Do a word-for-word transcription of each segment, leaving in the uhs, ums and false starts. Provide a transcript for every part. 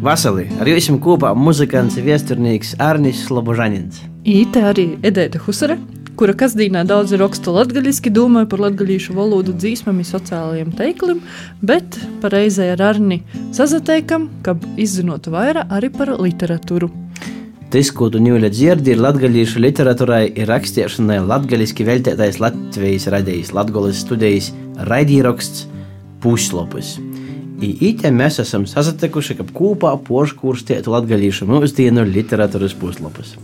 Vasali, ar jums kopā muzikants un viesturnīgs Arnis Slobožanins. Īte arī Edeita Husare, kura kasdīnā daudz raksta latgaļiski, domāja par latgaļīšu valodu dzīsmam un sociālajiem teiklim, bet pareizai ar Arni sazateikam, ka izzinotu vairāk arī par literatūru. Tas, ko tu ņūļa dzirdi, ir latgaļīšu literatūrai ir rakstiešanai latgaļiski veltētais Latvijas radījis Latgoles studijas raidīraksts Puslopus. I ite mēs esam sasatekuši, ka kopā poškūrstētu latgaļīšu mūsdienu literatūras puslopus.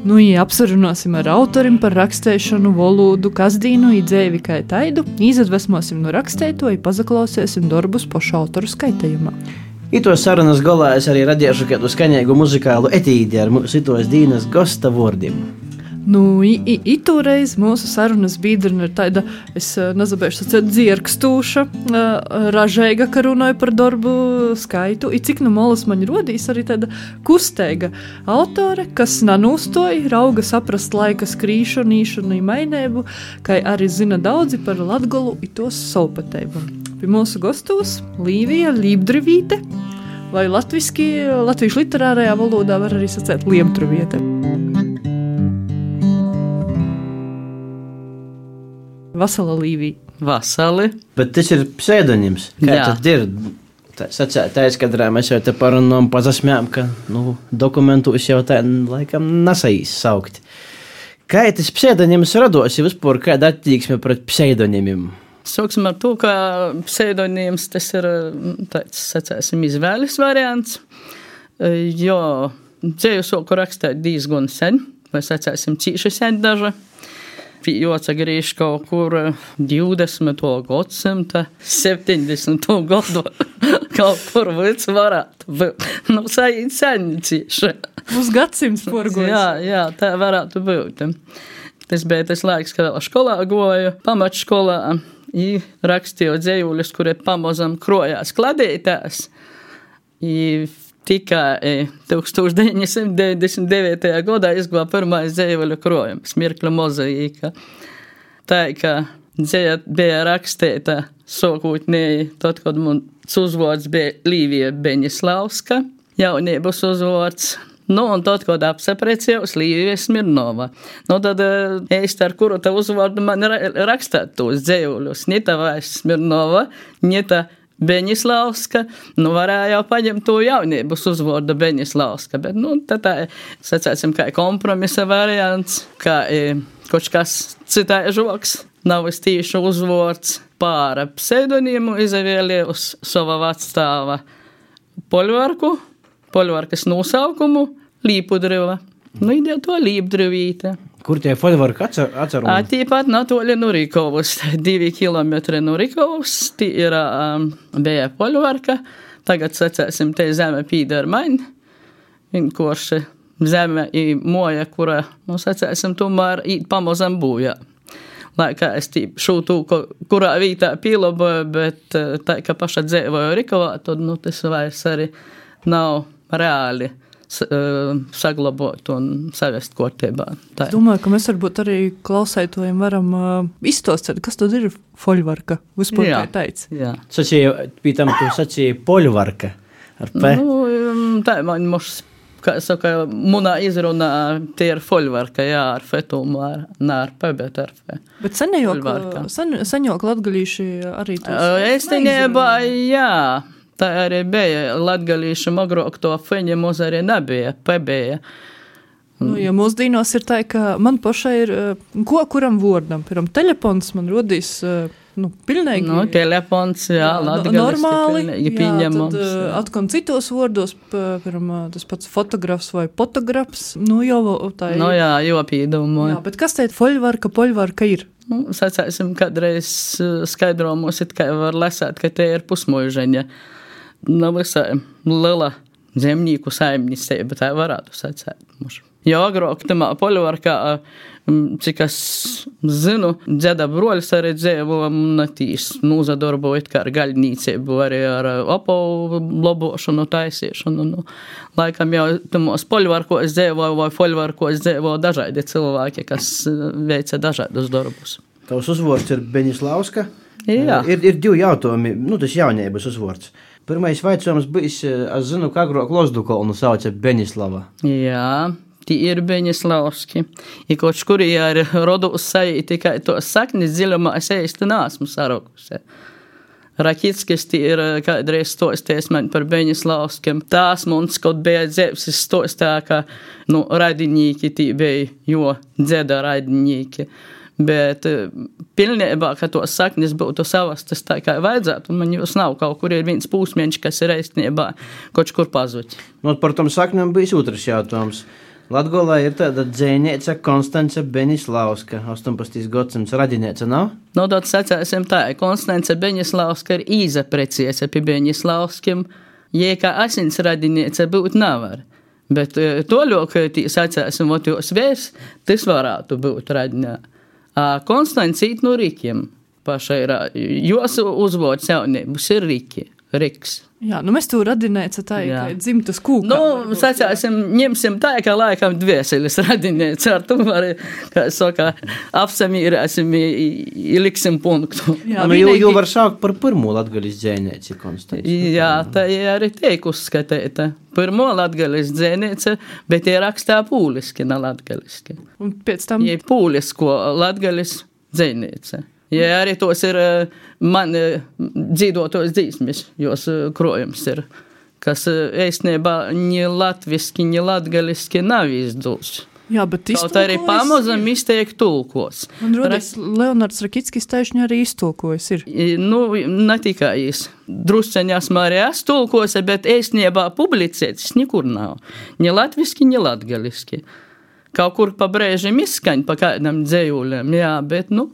Nu, ja apsarunāsim ar autorim par rakstēšanu, valodu, kasdīnu, i dzēvi kā taidu, izadvesmosim no rakstēto, i pazaklausēsim darbus pošu autoru skaitējumā. Itos sarunas galā es arī radiešu kādu skaņēgu muzikālu etīdi ar mūsu itos dīnas gosta vordiem. Nu, i, i, i toreiz mūsu sarunas biedrina ir tāda, es nezabēšu sacēt, dzierkstūša, ražēga, ka runāju par darbu skaitu, i cik nu molas man rodīs arī tāda kusteiga autore, kas nanūstoja, rauga saprast laika skrīšanu, mainēbu, kai arī zina daudzi par Latgolu i tos solpateibu. Pie mūsu gostos Līvija Lībdrivīte, vai latviski, latviešu literārajā valodā var arī sacēt Liemtruviete. Vasala Līvija. Vasali. Bet tas ir pseidonims. Kā Jā. tad ir? Tā, sacēt, tā izskatā mēs jau te parunām, pazasmējām, ka nu, dokumentus jau tā laikam nesaīs saukt. Kā tas pseidonims rados, ja vispār kāda attieksme pret pseidonimiem? Sāksim ar to, ka pseidonims tas ir tāds, sacēsim, izvēles variants. Jo dzēju sāku rakstīt diezgan sen, vai sacēsim cīši sen daža. Jāatsagriež kaut kur divdesmito gadsimta, septiņdesmito gadu, kaut kur vids varētu būt. Nu, saīt sen cīši. Uz gadsimts porgojas. Jā, jā, tā varētu būt. Tas bija tas laiks, kad vēl skolā goju, pamatškolā, i rakstīju dzējuļus, kuri pamazam krojās kladītās. I tikai tūkstoš deviņi simti deviņdesmit devītajā gadā izglāba pirmais dzējuļu krojums, Mirkļa mozaīka. Tā, ka dzēja bija rakstīta sākotnēji, tad, kad mums uzvārds bija Līvija Beņislavska, jaunības uzvārds. Nu, un tad, kad apsaprecējos Līvija Smirnova. Nu, tad īsti ar kuru tā uzvārdu man rakstāt tos dzējuļus. Nita vairs Smirnova, nita Beņislavska, nu varēja jau paņemt to jaunības uzvārdu Beņislavska, bet, nu, tā tā, sacēsim, kā kompromisa variants, kā kaut kas citai žoks, nav es tīši uzvārds pāra pseidonīmu izvēlēju uz sava vacstāva poļvarku, poļvarkas nosaukumu Līpudriva. Nu, idēja to Līpdrivīte. Kur tie poļvarki atceru? Tīpat natoli no Rikovas, divi kilometri no Rikovas, tī ir um, bija poļvarka, tagad sacēsim, te zeme pīdar maņ, vienkārši zeme i moja, kura, nu, sacēsim, tomēr īt pamazam būjā. Lai kā es tī šūtū, kurā vītā pīloboju, bet tā, ka paša dzēvoju Rikovā, tad, nu, tas vairs arī nav reāli saglabot un savest kārtībā. Es domāju, ka mēs varbūt arī klausētojiem varam uh, izstostēt, kas tad ir foļvarka, vispār kā teic. Jā. Sacīja, pītam tu sacīja poļvarka ar P. Nu, tā man moš, kā saka, munā izrunā, tie ir foļvarka, jā, ar fetumu, ar, nā, ar P, bet ar F. Bet senjok, sen, senjok latgalīši arī tos es teņēbā, jā. Tā arī bija latgalīša agrāk to feņa mūs arī nebija, pebija. Nu, ja mūsdīnos ir tā, ka man pašai ir, ko kuram vordam, piram telefons man rodīs, nu, pilnīgi. Nu, telefons, jā, latgaliski normāli, pilnīgi pieņemams. Jā, tad atkon citos vordos, piram tas pats fotografs vai fotografs, nu, jau tā ir. Nu, jā, jo pīdumu. Jā, bet kas teikt foļvarka, poļvarka ir? Nu, sacēsim, kādreiz skaidromus, it kā var lasēt, ka te ir pusmuižaņa. Nav visai liela zemnieku saimniecība, tā varētu sacēt. Jo agrāk tamā poļvarkā, cik es zinu, dzeda broļs arī dzēvo un tīs nūzadarbojot kā ar gaļnīcību, arī ar apavu lobošanu, taisīšanu. Nu, laikam jau tamos poļvarkos dzēvo vai poļvarkos dzēvo dažādi cilvēki, kas veica dažādus darbus. Tavs uzvārds ir Beņislavska. Jā. Ir, ir divi jautājumi, nu tas jaunības uzvārds. Pirmais vaicojums bijis, es zinu, ka agrāk Lozdukolnu sauca Beņislava. Jā, tie ir Beņislavski. I kaut kur ir rodus sajūta, tikai to saknis dziļumā es īsti neesmu sarokusi. Rakitskis tie ir kādreiz stosties man par Beņislavskiem. Tās mums kaut bija dzēvs, es stostā, ka, nu, radinīki tie bija, jo dzeda radinīki. Bet pilnībā, ka to saknis būtu savastas tā kā vajadzētu, man jūs nav, kaut kur ir viens pūsmieņš, kas ir eistniebā kaut kur pazuķi. Nu, par tom sakņiem bijis otrs jautājums. Latgolā ir tāda dzēnieca Konstance Beņislavska, astoņpadsmitais gadsimts radinēca, nav? Nu, tad sacēsim tā, Konstance Beņislavska ir īzapreciese pie Beņislavskim, jē kā asins radinēca būt nevar. Bet to ļok, tī sacēsim, ot jūs vērs, tas varētu būt radinē. Konstants īt no Rikiem pašai ir, jos uzvods jaunības ir Riki, Riks. Jā, nu mēs to radinēca tā, Jā. ka dzimtas kūkā. Nu, sacāsim, ņemsim tā, ka laikam dvieseļas radinēca, ar to var, kā saka, apsamīrēsim, iliksim punktu. Jā, nu, jau, vienīgi- jau var saukt par pirmo latgaļas dzēnieci Konstanci. Jā, tā ir arī teik uzskatīta. Pirmo latgaļas dzēniece, bet ir rakstā pūliski, ne latgaļiski. Un pēc tam... Ja pūlisko latgaļas dzēniece. Ja arī tos ir man dzīvotos dzīsmis, jos krojums ir, kas eistniebā ni latviski, ni latgaļiski nav izdūs. Jā, bet Kaut arī pamazam izteik tulkos. Man rodas, Leonards Rakitskis taišņi arī iztulkojas ir. Nu, ne tikai jis. Drusceņi esmu arī es tulkose, bet eistniebā publicētis nekur nav. Ni latviski, ni latgaļiski. Kaut kur pa brēžiem izskaņ pa kādam dzējūļiem, jā, bet, nu,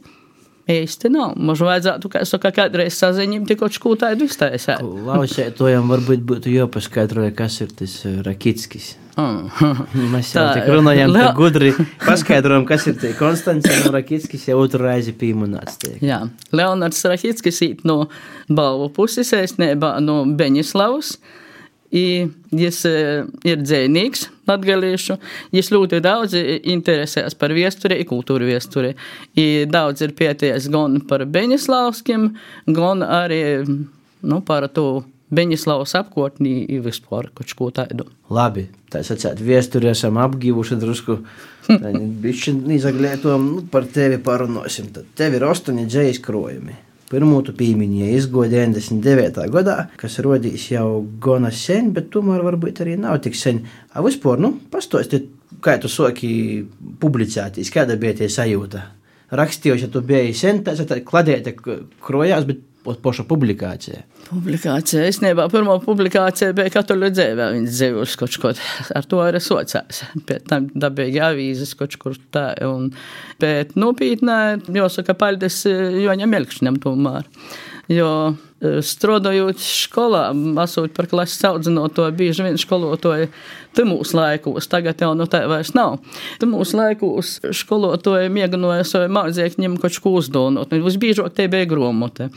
eisti nav. Mums vajadzētu, kā saka, kādreiz saziņim tikot škū tādu iztaisēt. Klausētojam varbūt būtu jāpaskaidroja, kas ir tas Rakitskis. Mm. Mēs jau Tā, tik runājam, Le- ka gudri paskaidrojam, kas ir tie Konstants un Rakitskis jau otru reizi pīmunāts tiek. Jā, Leonards Rakitskis īt no balvu puses, eistniebā no Beņislavas. I jis ir dzēnīgs latgalīšu, jis ļoti daudz interesēs par viesturi, kultūru viesturi. I daudz ir pieties gan par Beņislavskim, gan arī, nu, par to Beņislavas apkārtnī i vispār kaut ko tādu. Labi, tā sacēt, viesturi esam apgīvuši drusku, bišķi izaglētojam, nu, par tevi parunāsim. Tad tevi ir astoņi dzējas krojumi. Pirmū tu pīmiņie izgoja deviņdesmit devītā gadā, kas rodīs jau gana sen, bet tomēr varbūt arī nav tik sen. A vispār, nu, pastostiet, kā tu soki publicētīs, kāda bija tie sajūta? Rakstījuši, ja tu biji sen, tā ir kladēta krojās, bet poša publikācija. Publikācija, es nebā, pirmo publikācija bija katoļu dzēvē, viņas dzēvušas kaut kaut, ar to arī socās. Pēc tam dabīgi avīzes kaut kur tā, un pēc nopītnē, jāsaka, paldies Joņam Melkšņam tomēr. Jo strodojot skolā, esot par klases audzinoto, bieži vien skolotoji tymūs laikos, tagad jau no tā vairs nav. Tymūs laikos skolotoji mieganoja savu mācekņiem kaut ko uzdonot, un visbiežāk te bija gromote.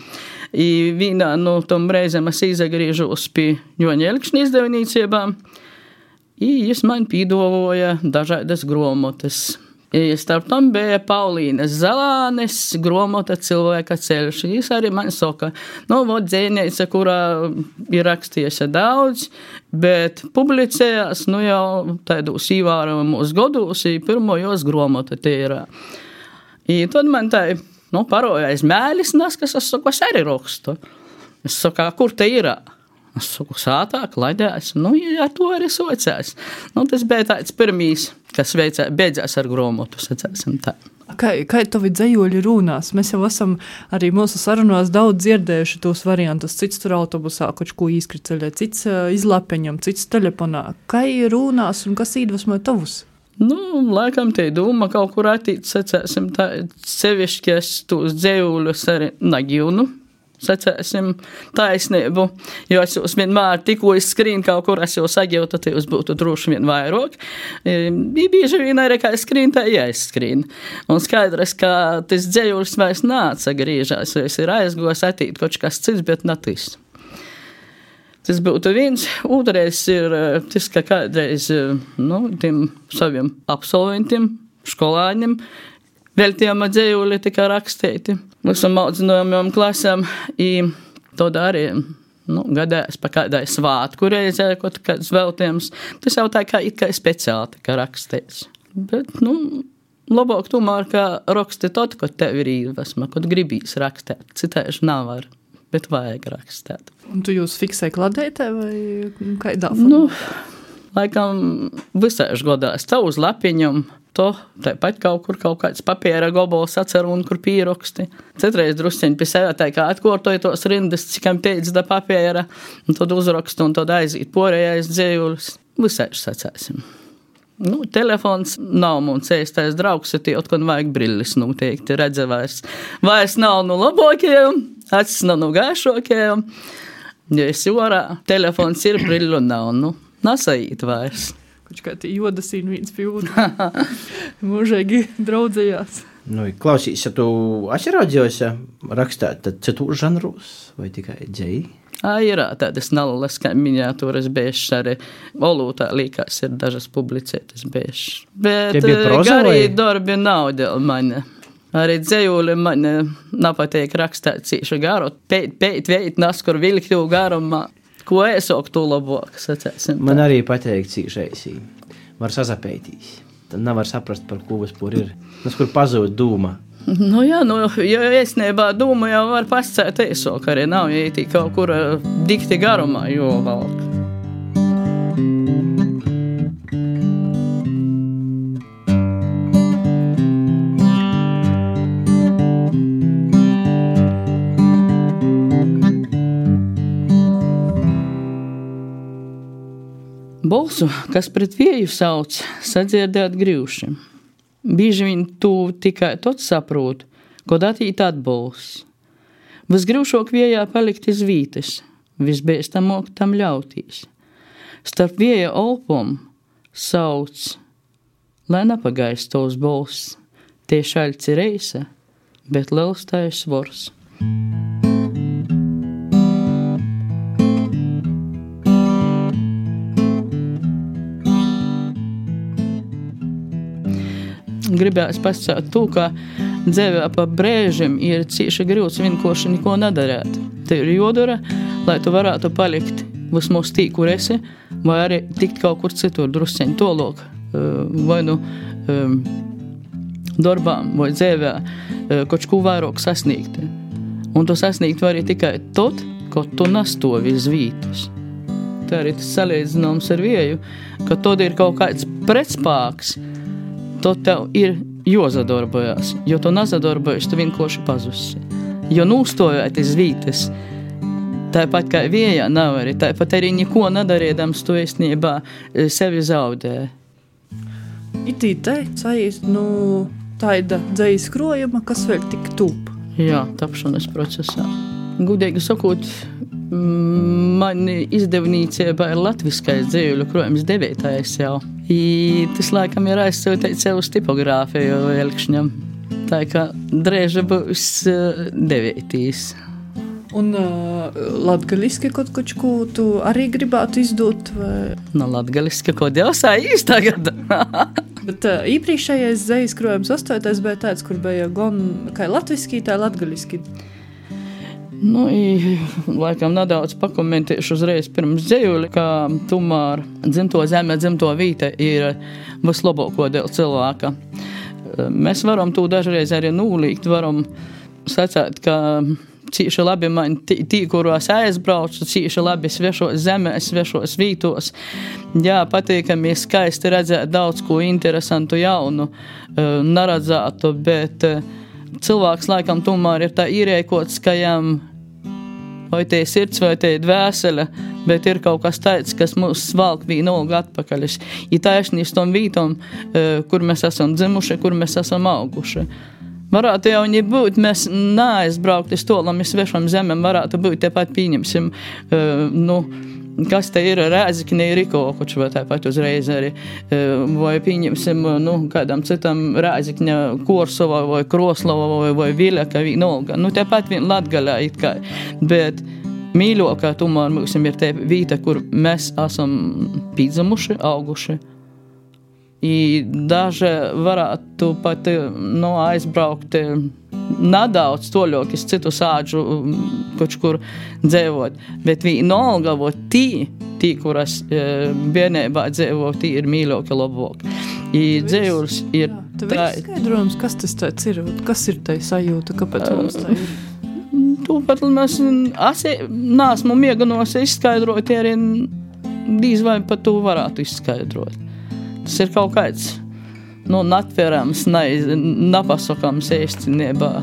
I vienā no tom reizēm es izagriežos pie Joņa Elkšņa izdevnīcībām, i jis man pīdavoja dažādas gromotes. I starp tam bija Paulīnas Zalānes gromota Cilvēka ceļš. Jis arī man saka, nu, vot dzēneica, kurā ir rakstījusi daudz, bet publicējās, nu, jau taidos īvārojumos godos, i pirmo jos gromota te ir. I tad man tā, nu, parojais mēlis nas, kas es saku, es arī rakstu. Es saku, kur te ir? Es saku, sātā, klaidēs, nu, ar to arī socās. Nu, tas bija tāds pirmīs, kas veicā, beidzās ar gromotu, sacēsim tā. Kā, kā tavi dzējoļi runās? Mēs jau esam arī mūsu sarunās daudz dzirdējuši tos variantus. Cits tur autobusā kaut ko izkriceļē, cits uh, izlapeņam, cits telefonā. Kā runās un kas iedvesmoja tavus? Nu, laikam te doma kaut kur attīt, sacēsim tā, sevišķi es tos dzējuļus arī nagilnu. Sacēsim taisnību, jo es jūs vienmēr tikko izskrīnu kaut kur, es jau sagīju, tad jūs būtu droši vien vairāk. Bija bieži vien arī, kā es skrīnu, tā jāizskrīnu. Un skaidrs, ka tas dzējulis vairs nāca grīžās, jo es ir aizgos attīt kaut kas cits, bet ne tas. Tas būtu viens. Otrais ir tas, ka kādreiz, nu, tiem saviem absolventiem, skolāņiem, veltījām dzējuli tika rakstīti visam audzinojumiem klasēm, i tad arī, nu, gadēs pa kādai svātku reizē, kaut kāds veltījums. Tas jau tā kā it kā speciāli tā kā rakstīts. Bet, nu, labāk tomēr, kā raksti tot, kad tev ir īvesma, kad gribīs rakstēt. Citēži nav var, bet vajag rakstēt. Un tu jūs fiksēji kladētē vai kādā formā? Nu, laikam visaiž godās tā uz lapiņam, to tāpat kaut kur kaut kāds papīra gobols atceru un kur pīroksti. Citreiz drusciņi pie sevi tā kā atkortoja tos rindas, cikam teica da papīra, un tad uzrakstu un tad aizīt porējais dzējulis. Visaiž sacēsim. Nu, telefons nav mums ēstais draugs, ja tie otkon vajag brillis noteikti redze vairs. Vairs nav no labākajiem, acis nav no gaišākajiem. Ja esi orā, telefons ir, brillu nav, nu, nasajīt vairs. Kaut kā tie jodasīni viens pie otru. Mūžīgi draudzējās. Nu, klausīs, ja tu atceraudzījos rakstāt, tad citu žanrus vai tikai dzēji? Ā, ir tādas nallas, kā miniatūras bieži arī olūtā līkās ir dažas publicētas bieži. Bet garī darbi nav dēļ mani. Arī dzējūli mani napateik rakstāt cīši garu, pēt, pēt, veit, naskur vilkļu garumā. Ko esok tu labāk, sacēsim. Man arī pateik cīšaisī. Var sazapētīs. Tad nevar saprast, par ko vispār ir. Tas, kur pazūd dūma. Nu jā, nu, jo esnībā dūma jau var pascēt esok arī. Nav jāitī kaut kur dikti garumā, jo valk. Bolsu, kas pret vieju sauc, sadzirdēt grīvši. Bīži viņ tu tikai tot saprūt, kod atīt atbols. Visgrīvšok viejā palikt iz vītes, visbēstamok tam ļautīs. Starp vieja olpom sauc, lai napagaist tos bols. Tie šaļci reisa, bet lelstais svors. Gribējās pasakāt to, ka dzēvē pa brēžiem ir cīši grūts vienkārši neko nedarēt. Te ir jodara, lai tu varētu palikt vismaz tī, kur esi, vai arī tikt kaut kur citur drusceņ tolok, vai nu darbām, vai dzēvē, kaut ko vairāk sasniegt. Un tu sasniegt vari tikai tot, kad tu nastovi iz vītas. Tā arī tas salīdzināms ar vieju, ka tad ir kaut kāds pretspāks, tad tev ir jāsadarbojās, jo tu nesadarbojas, tu vienkārši pazusi. Jo nūstojot iz vītas, tāpat kā viejā nav arī, tāpat arī neko nedarīdams, tu īstenībā sevi zaudē. Itī te sajīst, nu, taida dzejas krojuma, kas vēl tik tūp. Jā, tapšanas procesā. Gudīgi sakot, mani izdevnīcībā ir latviskais dzējuļu krojums devītais jau. I tas laikam ir aizsūtīt sev uz tipogrāfiju elkšņam. Tā kā drēža būs devītīs. Un uh, latgaliski kaut ko tu arī gribētu izdot? Vai? No latgaliski kaut jau sājīs tagad. Bet uh, īpriekšējais dzejas krojums astotais bija tāds, kur bija gan kā latviski, tā latgaliski. Nu, i, laikam nedaudz pakomentēšu uzreiz pirms dzējuli, ka tomēr dzimto zeme, dzimto vīte ir vislabāko dēļ cilvēka. Mēs varam to dažreiz arī nūlīgt, varam sacēt, ka cīši labi man tī, tī kuros aizbraucu, cīši labi svešos zemēs, svešos vītos. Jā, patīkami skaisti redzēt daudz ko interesantu jaunu, neredzētu, bet cilvēks laikam tomēr ir tā īrēkots, ka jām vai te sirds, vai te dvēsele, bet ir kaut kas tāds, kas mūs svalk vienalga atpakaļ. Ir taisnī uz tom vītom, kur mēs esam dzimuši, kur mēs esam auguši. Varētu jau nebūt, mēs neaizbraukt uz to, lai mēs svešam zemēm, varētu būt tepat pieņemsim, nu, kas te ir Rēzikne ir Rikokoč, vai tāpat uzreiz arī, vai pieņemsim, nu, kādam citam Rēzikņa Korsova, vai Kroslava, vai, vai Viļaka, vienalga. Nu, tāpat vien Latgalē it kā, bet mīļokā tomēr mums ir te vīta, kur mēs esam pīdzamuši, auguši. I daži varētu pat, nu, aizbraukt nedaudz toļok iz citu sāģu koč kur dzēvot, bet vienalga, vo tī, tī, kuras e, bērnībā dzēvo, tī ir mīļoki labāk. I dzēvulis ir... Tev ir skaidrojums, kas tas tāds ir, kas ir tai sajūta, kāpēc mums tā ir? Tūpat mēs neesmu mieganos izskaidrot, arī dīz vai pat tu varētu izskaidrot. Tas ir kaut kāds, nu, natverams, napasakams ēstinībā.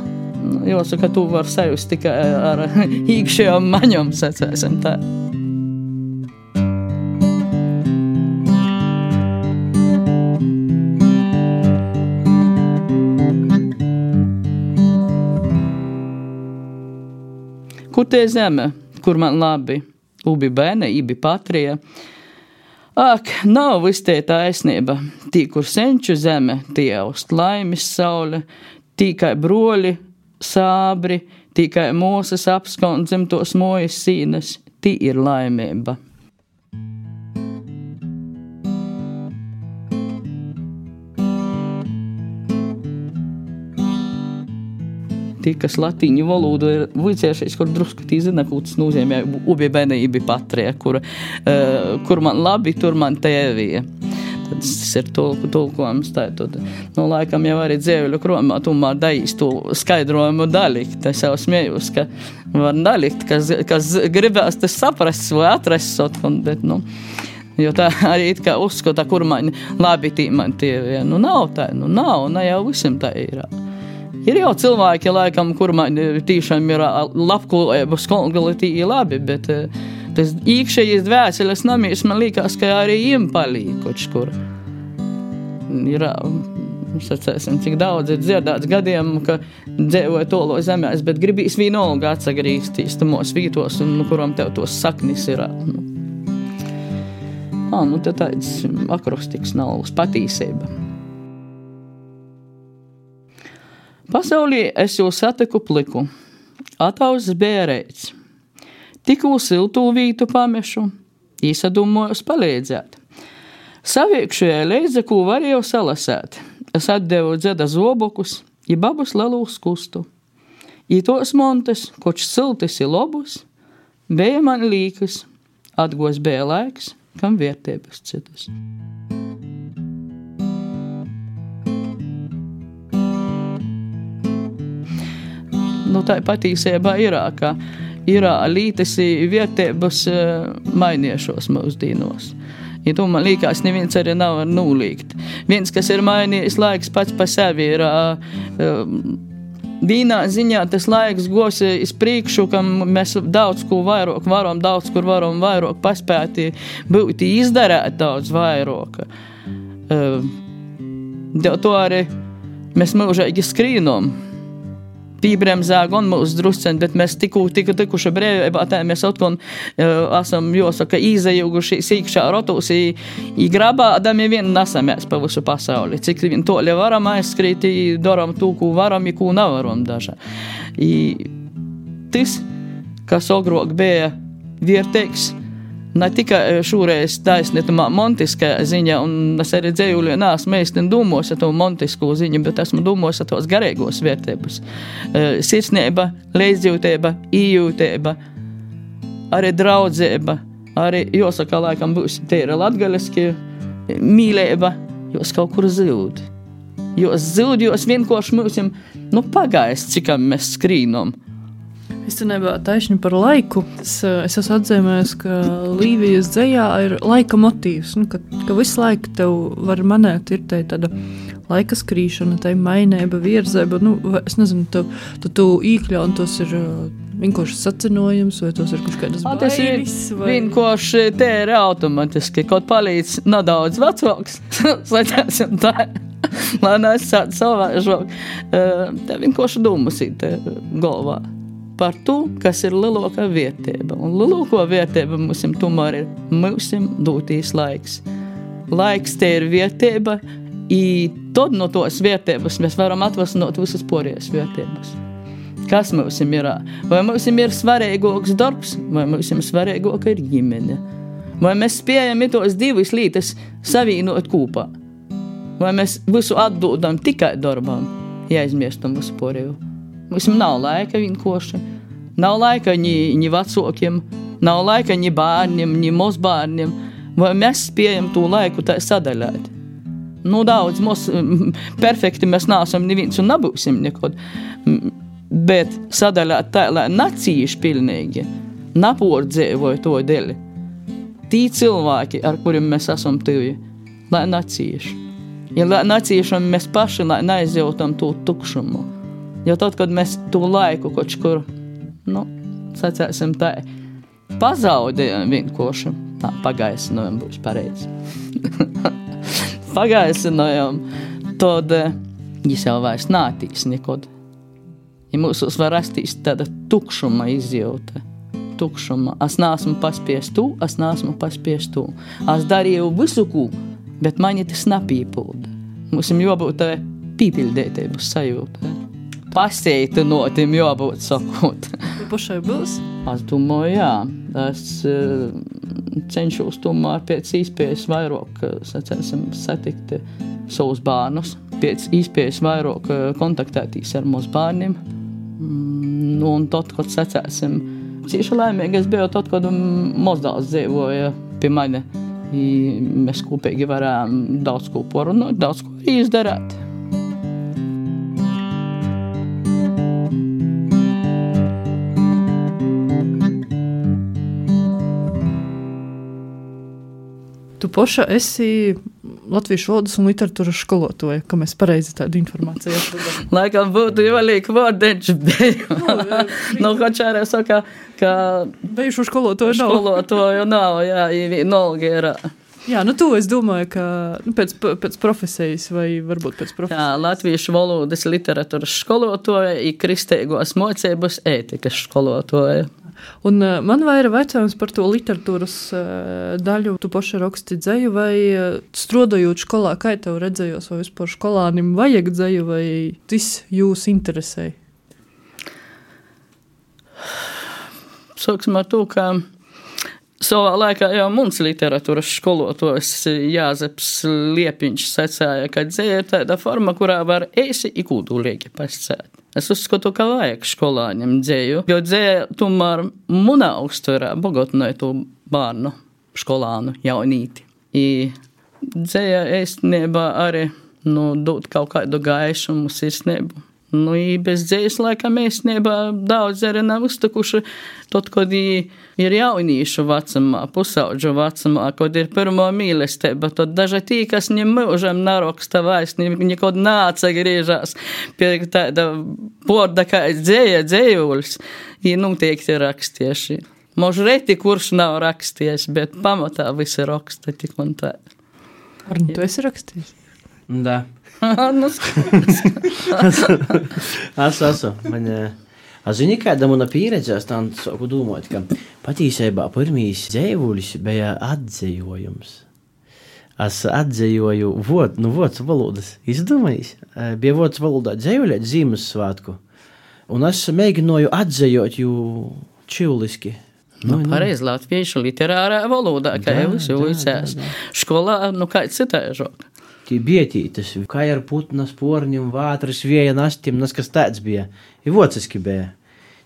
Jāsaka, tu var sajust tikai ar īkšējām maņom, sacēsim tā. Kur te zeme, kur man labi, ubi bēne, ibi patrija. Ak, nav viss te taisnība, tī, kur senču zeme, tie aust laimis saule, tī kai broļi, sābri, tī kai mūsas apskon zem tos mojas sīnas, tī ir laimība. Tī, kas latīņu valodu ir vicēšies, kur drusku tī zina, ko tas nozīmē ubi bēne, ibi patrija, kur, uh, kur man labi, tur man tēvija. Tad tas ir tulku, tulkojums. Tā, tad, nu, laikam jau arī dzēvuļu kromā tomēr daīs to skaidrojumu dalikt. Es jau smējos, ka var dalikt, kas, kas gribēs tas saprast vai atrast, bet, nu, jo tā arī it kā uzskata, kur man labi tī man tēvija. Nu, nav tā, nu, nav, ne jau visam tā ir. Ir jau cilvēki, laikam, kur man tīšām ir labklājība, skolgali tī ir labi, bet tas īkšējais dvēseles namīs man liekas, ka arī jiem palīk koč kur. Ir, sacēsim, cik daudz ir dzirdāts gadiem, ka dzēvoja tolo zemēs, bet gribīs vienolga atsagrīstīs tamos vītos, un kuram tev tos saknis ir. Nu, Ā, nu te tāds akrostiks nav uz patīsība. Pasaulī es jau satiku pliku, atauzs bērēts. Tikū siltū vītu pamešu, īsadumojos palīdzēt. Saviekšajā leidze, ko varēju salasēt. Es atdevu dzeda zobokus, i babus lelūs kustu. I tos montes, koč siltis i lobus, beja man līkas, atgos beja laiks, kam vērtības citas. Nu, tā patīsībā ir, ka ir lītas vietības mainiešos mūsdīnos. Ja to man liekas, neviens arī nav var nūlīgt. Viens, kas ir mainījis laiks pats pa sevi, ir vīnā ziņā tas laiks gos iz priekšu, kam mēs daudz ko vairāk varam, daudz kur varam vairāk paspēti, būti izdarēt daudz vairāk. Dēļ to arī mēs mūžīgi skrīnom. Pībremzē gan mūsu drusceni, bet mēs tiku, tiku, tikuši brēvībā, tā mēs atkon uh, esam, jāsaka, izajūguši sīkšā rotos, i, i grabādami vien nesamēs pa visu pasauli. Cik vien toļi varam aizskrīt, i daram to, ko varam, i ko nevaram dažā. I tas, kas agrāk bija vērtīgs, ne tikai šūreiz taisnītumā montiskā ziņa, un es arī dzējuļu neesmu meistin domos ar to montisko ziņu, bet esmu domos ar tos garīgos vērtības. Sirsnība, leidzjūtība, ījūtība, arī draudzība, arī, jāsaka, laikam būs tīra latgaliski, mīlība, jūs kaut kur zūd. Jūs zūd, jūs vienkārši mūsim, nu, pagaist, cikam mēs skrīnom. Es te nebiju taisni par laiku. Es, es esmu atzīmējis, ka Līvijas dzejā ir laika motīvs, nu, ka, ka visu laiku tev var manēt, ir te tāda laika skrīšana, tai mainība, virzēba, nu, es nezinu, tu, tu, tu īkļaun, tos ir vienkārši sacinojums, vai tos ir kaut kādas bailes? Tas ir vai... vienkārši te ir automatiski, kaut palīdz nedaudz vecāks, saķēsim tā, lai nesāc savāžāk. Te vienkārši dūmusīt galvā par to, kas ir lielākā vērtība. Un lielākā vērtība mums tomēr ir mūsim dotīs laiks. Laiks te ir vērtība, i tad no tos vērtības mēs varam atvasnot visas porijas vērtības. Kas mums ir? Vai mums ir svarīgāks darbs, vai mums ir svarīgāka ir ģimene? Vai mēs spējam tos divas lietas savīnot kopā? Vai mēs visu atdodam tikai darbam, ja aizmiestam visu poriju? Mums nav laika vienkoši. Nav laika ni, ni vecākiem, nav laika ni bērniem, ni mazbērniem. Vai mēs spējam to laiku tā sadaļāt? Nu, daudz mums perfekti mēs neesam neviens un nebūsim nekod. Bet sadaļāt tā, lai nacīši pilnīgi, napordzīvoja to dēļ. Tī cilvēki, ar kuriem mēs esam tuvi, lai nacīši. Ja lai nacīšam mēs paši, lai neizjautam to tukšumu. Jo tad, kad mēs to laiku kaut kur, nu, sacēsim tā, pazaudējam vienkoši, tā, pagaisinojam būs pareizi. Pagaisinojam, tad viņš jau vairs nātīs nekod. Ja mūsos var rastīs tāda tukšuma izjauta, tukšuma. Es neesmu paspies tu, es neesmu paspies tu. Es darīju visu, ko, bet mani tas nepīpilda. Mums jābūt tā pīpildētības sajūta. Pasētinotim jābūt sakot. Pašai būs? Es domāju, jā. Es uh, cenšos tomēr pēc iespējas vairāk, sacēsim, satikt savus bērnus, pēc iespējas vairāk kontaktētīs ar mūsu bērniem. Mm, un tad, kad sacēsim, cīši laimīgi es biju tad, kad mazdāls dzīvoja pie mani. I mēs kopīgi varējām daudz ko porunāt, daudz ko izdarāt. Tu paša esi latviešu valodas un literatūras skolotāja, ka mēs pareizi tādu informāciju atradām. Laikam būtu jāliek vārdeņš beju. Nu, kočārē saka, ka bejušu skolotāju nav. Skolotāju nav, jā, vienalga ir. Jā, nu to es domāju, ka nu, pēc, pēc profesijas vai varbūt pēc profesijas. Jā, latviešu valodas literatūras skolotāja ir kristīgos mocības ētikas skolotāja. Un uh, man vaira vaicājums par to literatūras uh, daļu. Tu paši raksti dzeju vai uh, strodojot skolā, kā tev redzējos, vai vispār skolānim vajag dzeju, vai tas jūs interesē? Sāksim ar to, ka savā laikā jau mums literatūras skolotājs Jāzeps Liepiņš sacēja, ka dzeja ir tāda forma, kurā var eisi i kūdulīgi pascēt. Es uzskatu, ka vajag skolāņiem dzeju, jo dzeja tomēr munā uztverā bogotnoja to bārnu, skolānu, jaunīti. I dzeja ēstniebā arī nu, dot kaut kādu gaišumu sirsniebu. Nu, i bez dzejas laikam ēstniebā daudz arī nav uztakuši tot, kad ir jaunīšu vecumā, pusaudžu vecumā, kad ir pirmo mīlestība, tad daži tī, kas ne mūžam naraksta vairs, nekod nāca griežās pie tāda porda kā dzeja, dzejulis, ir noteikti rakstieši. Može reti, kurš nav raksties, bet pamatā visi raksta tik un tā. Arni, tu esi rakstījis? Da. Nu, es esmu. Man, es zinu, kāda mana pieredze, es tā sāku domāt, ka patīsībā pirmīs dzēvulis bija atzējojums. Es atzējoju vod, nu, vods valodas. Izdomājis? Bija vods valodā dzējuļēt Ziemassvētku. Un es mēģināju atzējot jū čiuliski. Nu, nu, pareiz latviešu literārā valodā, kā jau visi vicēs. Školā, nu, kā citēžok. Tie bietītas, kā ar putnas porņiem, vātras, vieja nastiem, nas kas tāds bija. I vociski bija.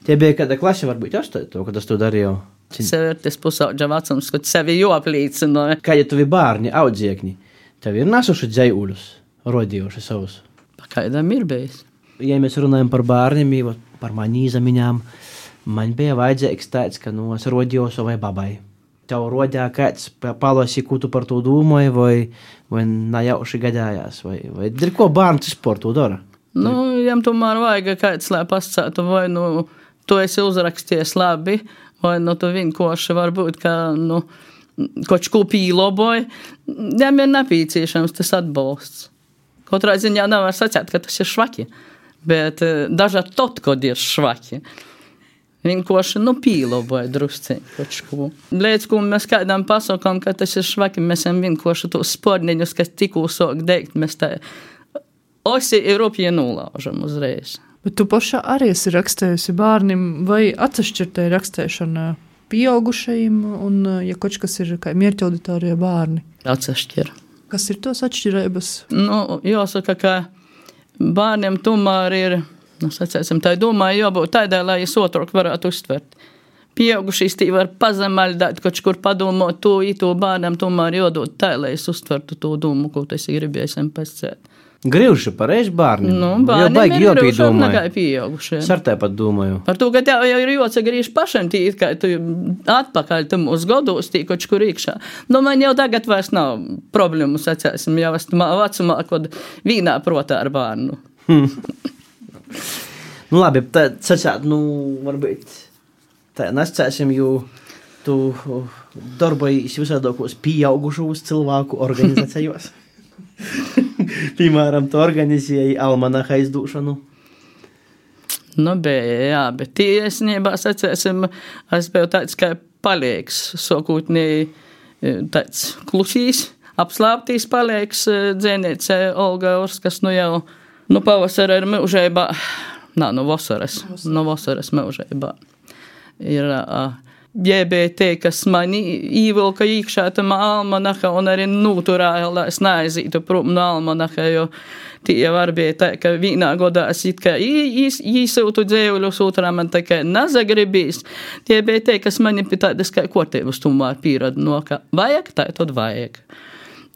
Tie bija kāda klase, varbūt astoto, kad es to darīju. Sev ir tas pusaudža vecums, kad sevi joaplīcinoja. Kā ja tavi bārni, audziekni, tev ir nasuši dzējuļus, rodījuši savus? Pakaidām ir bijis. Ja mēs runājam par bārniem, par mani izamiņām, man bija vajadzīgs tāds, ka nu es rodīju savai babai. Tev rodīja kāds palosi, ko tu par to domāji, vai, vai najauši gadājās, vai, vai ir ko bērns vispār to dara? Nu, jām tomēr vajag kāds, lai pascētu, vai nu tu esi uzraksties labi, vai nu tu vienkoši varbūt, ka, nu, kaut ko pīloboji, jām ir nepieciešams tas atbalsts. Katrā ziņā nevar sacēt, ka tas ir švaki, bet dažā tot, kad ir švaki. Vienkoši, nu, pīloboja drusciņi kaut ko. Līdz, ko mēs kādām pasakām, ka tas ir švaki, mēs esam vienkoši tos sporniņus, kas tikko sāk degt, mēs tā osi ir rupji nulaužam uzreiz. Bet tu pašā arī esi rakstējusi bērnim, vai atsašķirtēji rakstēšana pieaugušajiem, un, ja kaut kas ir kā mierķauditārie bērni? Atsašķir. Kas ir tos atšķirības? Nu, jāsaka, ka bērniem tomēr ir Nu, sacēsim, tā domāju, jābūt tādai, lai es otrāk varētu uztvert. Pieaugušīs tī var pazemaldāt, kaut kur padomot to, to bērnam tomēr jādod tā, lai es uztvertu to domu, ko tas ir gribējis pasēt. Grīvši pareizi bērni. Nu, bērniem ir grīvši nekā pieaugušiem. Es ar tā pat domāju. Par to, ka tev jau ir jāsagrīž pašam tī, kā tu atpakaļ tam uz godos tī, kaut kur iekšā. Nu, man jau tagad vairs nav problēmu, sacēsim, jau esmu vecumā, kad vīnā protā ar bērnu. Hmm. Nu, labi, tā sacēt, nu, varbūt... Tā nescēsim, jo tu darbojies visādākos pieaugušos cilvēku organizācijos. Piemēram, tu organizēji almanaha izdūšanu. Nu, bija, jā, bet tiesnībā, sacēsim, es biju tāds kā paliegs, sokūtnī tāds klusīs, apslāptīs paliegs dzēnīce Olga Orskas, nu jau, nu pavasara ir mūžībā, nā, nu vasaras, nu vasaras mūžībā. Ir uh, J B T, kas mani īvilka iekšā tam almanaha un arī noturēja, lai es neaizītu prom no almanaha, jo tie var bija tā, ka vienā godā es it kā īsūtu dzēvuļus, otrā man tā kā nezagribīs. J B T, kas mani pie tādas kā kortības tomēr pierada no, ka vajag, tā tad vajag.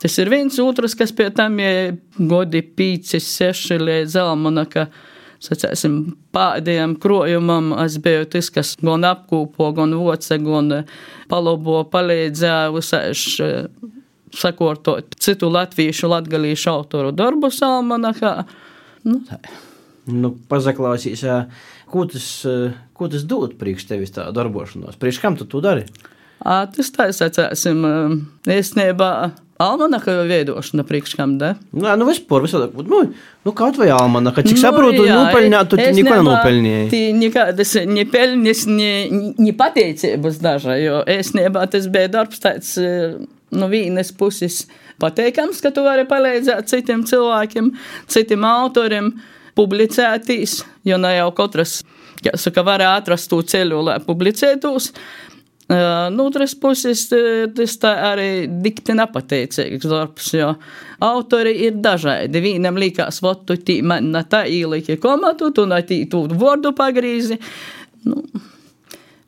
Tas ir viens otrs, kas pie tam ir godi pīci, seši līdz almanaha, sacēsim, pēdējiem krojumam es biju tas, kas gan apkūpo, gan voce, gan palobo, palīdzēja visaiši sakortot citu latviešu, latgalīšu autoru darbu almanahā. Nu, tā. Nu, pazaklausīs, ko tas, ko tas dod priekš tevis tā darbošanos? Priekš kam tu to dari? À, tas tā, sacēsim, īstenībā almanaha veidošana priekš kam, da? Nā, nu vispār, visādā, nu, nu kaut vai almanaha, cik nu, saprotu, nopelņāt, tu neko nenopelņēji. Tī nekādas ne peļņas, ne, ne pateicības daža, jo īstenībā tas bija darbs tāds, no vienas puses pateikams, ka tu vari palīdzēt citiem cilvēkiem, citiem autoriem, publicētīs, jo ne jau katrs, kā saka, var atrast to ceļu, lai publicētos. Uh, no otras puses, tas tā arī dikti nepateicīgs darbs, jo autori ir dažādi. Vienam likās, vot tu tī man na tā īliki komatu, tu na tī tu vordu pagrīzi. Nu,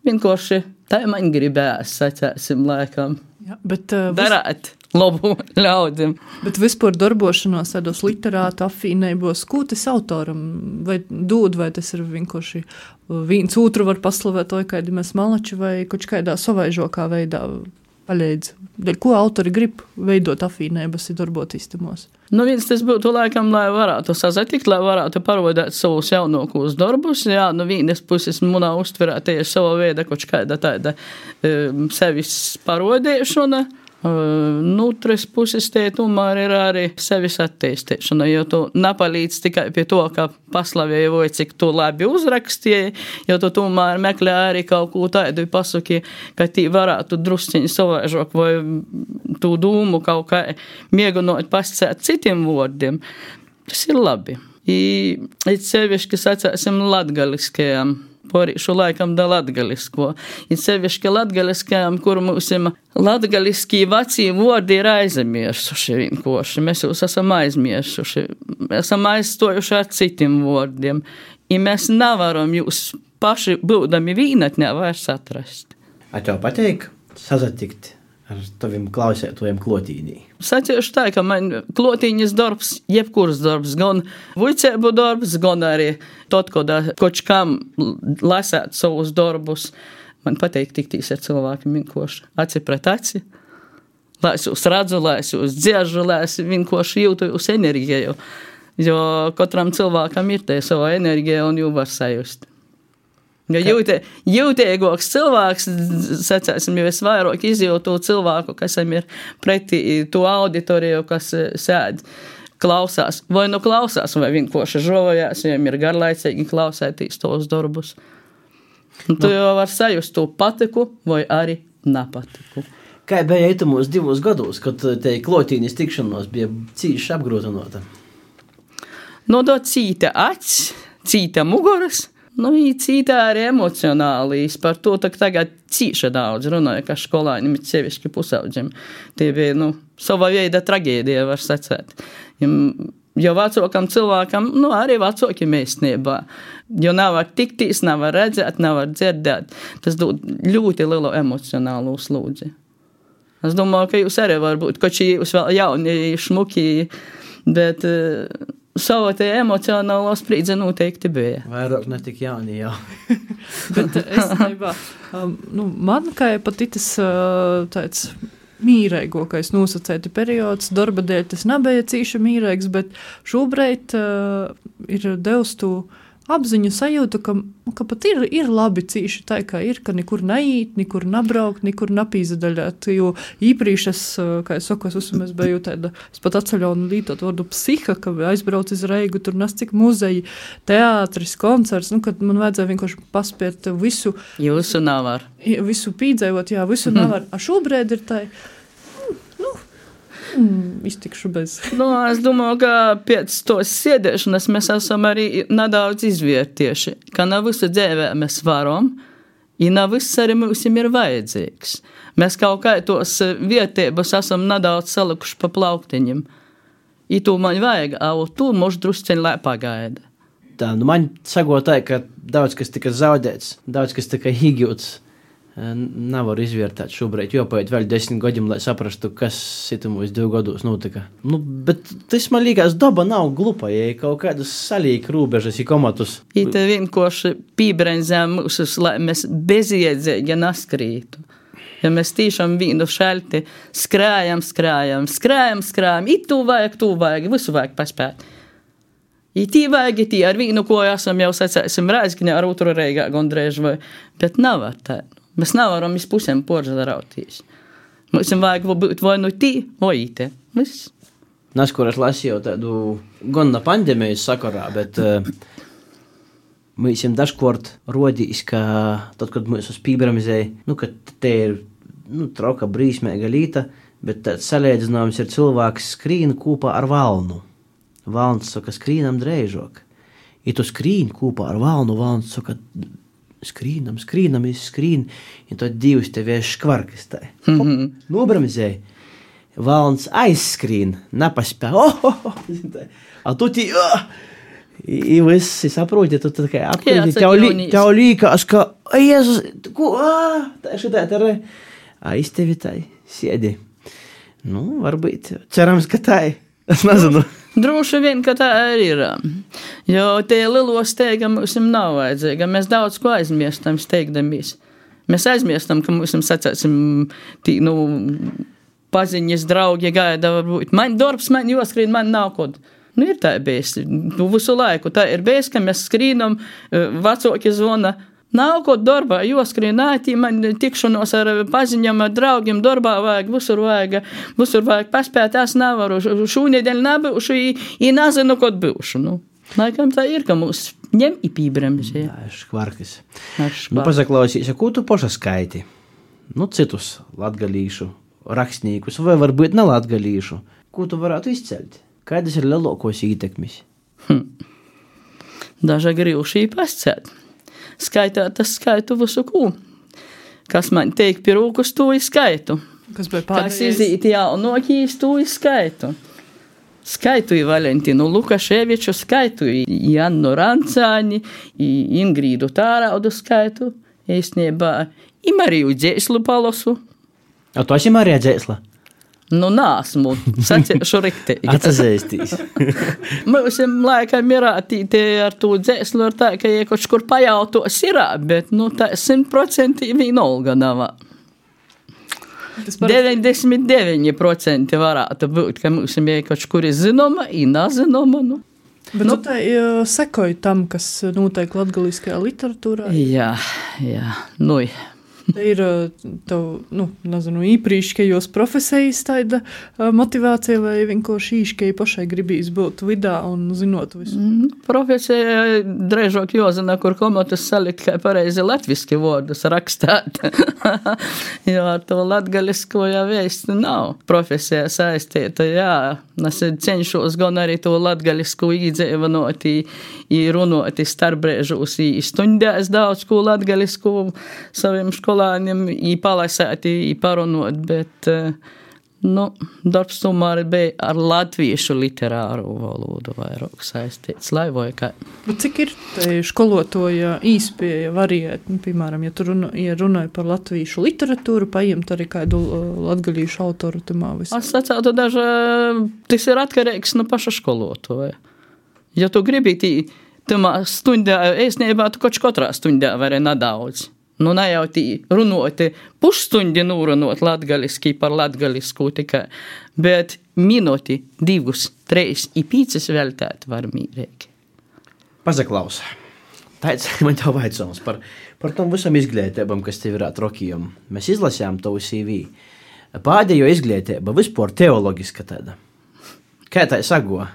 vienkārši tā man gribēs, sacēsim, laikam. Jā, bet, uh, darāt labu ļaudim. Bet vispār darbošanos tādos literātu afīnējos, ko tas autoram vai dod, vai tas ir vienkārši viens otru var paslavēt, vai kādi mēs malači, vai kaut kādā savaižokā veidā paļēdz. Ko autori grib veidot afīnējas un darboties tamos? Nu, viens tas būtu laikam, lai varētu sazatikt, lai varētu parodēt savus jaunākos darbus. Jā, no vienas puses munā uztverā tieši sava veida kaut kāda tāda um, sevis parodēšana. Nu, tres puses te tomēr ir arī sevis attīstīšana, jo tu nepalīdz tikai pie to, ka paslavēji vai cik tu labi uzrakstīji, jo tu tomēr meklē arī kaut ko tādu pasaki, ka tī varētu drusciņi savaižok vai tu dūmu kaut kā miegunot pascēt citiem vārdiem. Tas ir labi. I, it sevišķi sacēsim latgaliskajam. Porīšu laikam da latgalisko. Ir sevišķi latgaliskajam, kur mūsim latgaliskī vecī vārdi ir aizmirsuši vienkoši. Mēs jūs esam aizmirsuši. Esam aizstojuši ar citiem vārdiem. I mēs nevaram jūs paši būdami vīnatnē vairs atrast. A tev pateik sazatikt ar taviem klausētojiem klotīnī? Sacīšu tā, ka man klotīņas darbs, jebkurs darbs, gan vuicēbu darbs, gan arī tot, kad kaut kam lasēt savus darbus. Man pateik tiktīs ar cilvēkiem vienkoši aci pret aci. Lai es jūs redzu, lai es jūs dziežu, lai es vienkoši jūtu jūs enerģiju. Jo katram cilvēkam ir te sava enerģija un jū var sajust. Jo jūtē, jūtēgoks cilvēks, sacēsim, jo es vairāk izjūtu cilvēku, kas ir pretī to auditoriju, kas sēd, klausās. Vai nu klausās, vai vienkoši žovojās, jo ir garlaicīgi klausētīs tos darbus. Un tu jau var sajust to patiku vai arī nepatiku. Kā bija itamos divos gados, kad te klotīnis tikšanos bija cīši apgrūtinota? Nodot cīta acs, cīta muguras, nu, cītā arī emocionālīs. Par to tagad cīša daudz runāja, ka skolāņiem ir sevišķi pusauģiem. Tie bija, nu, sava veida tragēdija, var sacēt. Jo vecākam cilvēkam, nu, arī vecākiem īstenībā. Jo nevar tiktīs, nevar redzēt, nevar dzirdēt. Tas dod ļoti lielu emocionālu slūdzi. Es domāju, ka jūs arī var būt, koči jūs vēl jauni, šmuki, bet uh, savu te emocionālo sprīdzi noteikti bija. Vairāk ne tik jauni, jā. Bet es neībā, um, nu, man kā pat itas uh, tāds mīreigokais nosacēti periods, darba dēļ tas nebija cīši mīreigs, bet šobrīd uh, ir devis tu apziņu sajūtu, ka, ka pat ir, ir labi cīši tā, kā ir, ka nekur neīt, nekur nabraukt, nekur napīzadaļāt, jo īprīši es, kā es saku, es uzmēs biju tāda, es pat atceļaunu lītot vārdu psiha, ka aizbrauc iz Reigu, tur nas cik muzeji, teātris, koncerts, nu, kad man vajadzēja vienkārši paspiet visu. Jūsu navar. Visu pīdzējot, jā, visu mm. navar. A šobrīd ir tā, nu, mm, iztikšu bez. Nu, es domāju, ka pēc tos sēdēšanas mēs esam arī nedaudz izvērtieši, ka nav visu dzīvē mēs varam, i nav viss arī mums ir vajadzīgs. Mēs kaut kā tos vietības esam nedaudz salikuši pa plauktiņiem. I tu man vajag, a tu moš drusceņ lai pagaida. Tā, nu man sagotāja, ka daudz kas tika zaudēts, daudz kas tika higjūts. Nevaru izvērtēt šobrīd, jo pēc vēl desmit gadiem, lai saprastu, kas situmos divu gados notika. Nu, bet tas man liekas, daba nav glupa, ja kaut kādus salīk rūbežas, ja komatus. I te vienkārši pībrenzēm mūsus, lai mēs beziedzīgi naskrītu. Ja mēs tīšām vīnu šalti skrājam, skrājam, skrājam, skrājam, i tu vajag, tu vajag, visu vajag paspēt. I tī vajag, i tī ar vīnu, ko esam jau sacēsim Rāzgiņā ar otru Reigā gondrēž vai, bet nav ar tā. Mēs nevaram iz pusēm poržadarauties. Mums vajag būt vai nu tī, vai te. Viss. Nes, kur es lasīju tādu gan na pandēmijas sakarā, bet uh, mēs jums dažkort rodīs, ka tad, kad mēs uz pībramizēja, nu, ka te ir, nu, trauka brīsmēga līta, bet tāds salēdzinājums ir cilvēks skrīn kūpā ar valnu. Valns saka, skrīnam dreižok. I tu skrīn kūpā ar valnu, valns saka, skrīnam, skrīnam, es skrīn, un tad divas tev škvarkas tā. Mm-hmm. Nobramizēja. Valns aizskrīn, nepaspēja. Oh, oh, oh. A tu tī, oh! I visi saproti, tu tā kā apkārt, tev, lī, tev līkās, ka, o, Jēzus, ko, ah, tā šitā, tā re. A, iz tevi tā, siedi. Nu, varbūt, cerams, ka tā, es nezinu. Droši vien, ka tā arī ir. Jo tie lielo steiga mums nav vajadzīga. Mēs daudz ko aizmiestam steigdamies. Mēs aizmiestam, ka mums sacēsim tī, nu, paziņas, draugi gaida, varbūt. Man darbs, man joskrīn, man nav kod. Nu, ir tā bijis. Nu, visu laiku tā ir bijis, ka mēs skrīnam, vecāki zvona. Nav ko darbā, joskrīn, ātī, man tikšanos ar paziņam, ar draugiem, darbā vajag, visur vajag, visur vajag paspēt, es nevaru, šūnedēļ nebūšu, i nezinu, kod būšu, nu. Laikam tā ir, ka mūs ņem i pībremis, ja. Tā ir škvarkas. Nu, pasaklausīs, ko tu poša skaiti? Nu, citus latgalīšu rakstniekus, vai varbūt ne latgalīšu. Ko tu varētu izcelt? Kādas ir lielākos ietekmes? Hm. Daža grīvšī pascēt. Skaitā tas skaitu visu kū. Kas man teik pirūkus, to skaitu. Kas bija pādējais? Kas izīt jaunokīs, to skaitu. Skaitu i Valentinu Lukaševiču, skaitu i Jannu Rancāni, i Ingrīdu Tāraudu skaitu, īstenībā i Mariju Dzēslu palosu. A tu esi Marija Dzēsla? Nu, nāsmu, saciešu riktīgi. Atsazēstīs. Mums laikam ir attīti ar to dzēslu, ar tā, ka ja kaut kur pajautos ir, bet, nu, tā simt procenti vienolga nav. deviņdesmit deviņi procenti varētu būt, ka mums ir kaut kur zinoma, i nezinoma, nu. Bet nu, tu tā sekoji tam, kas notiek latgaliskajā literatūrā? Jā, jā, nu, jā. Tā ir tev, nu, nezinu, īprīškajos profesijas tāda motivācija, vai vienkārši īškai pašai gribīs būt vidā un zinot visu? Mm, profesija drežok jozina, kur komatus salikt, kā pareizi latviski vārdus rakstāt. Jo ar to latgalisko jau vēsti nav. Profesija saistīta, jā. Es cenšos gan arī to latgalisku īdzēvanot, i runot starpbrēžos, i stundēs daudz ko latgalisku saviem školāņiem, i palasēt, i parunot, bet, Nu, darbs tomēr bija ar latviešu literāru valodu vairāk saistīts, lai vai kā. Bet cik ir tai skolotoja īspēja variēt? Nu, piemēram, ja tu runa, ja runāji par latviešu literatūru, paiemt arī kādu latgalīšu autoru tamā visā? Es sacātu, daža, tas ir atkarīgs no paša skolotoja. Ja tu gribi tī, tamā stundā, ēsnībā, tu koč katrā stundā vari nedaudz. Nu, ne jau tī runoti pusstundi nūrunot latgaliski par latgalisku tikai, bet minūti, divus, treis i pīcis veltēt var mīrīgi. Pazaklaus. Tāds man tev vaicams par, par tom visam izglītībam, kas tev ir atrokījum. Mēs izlasījām tavu C V. Pēdējo izglītība vispār teologiska tāda. Kā tā sago?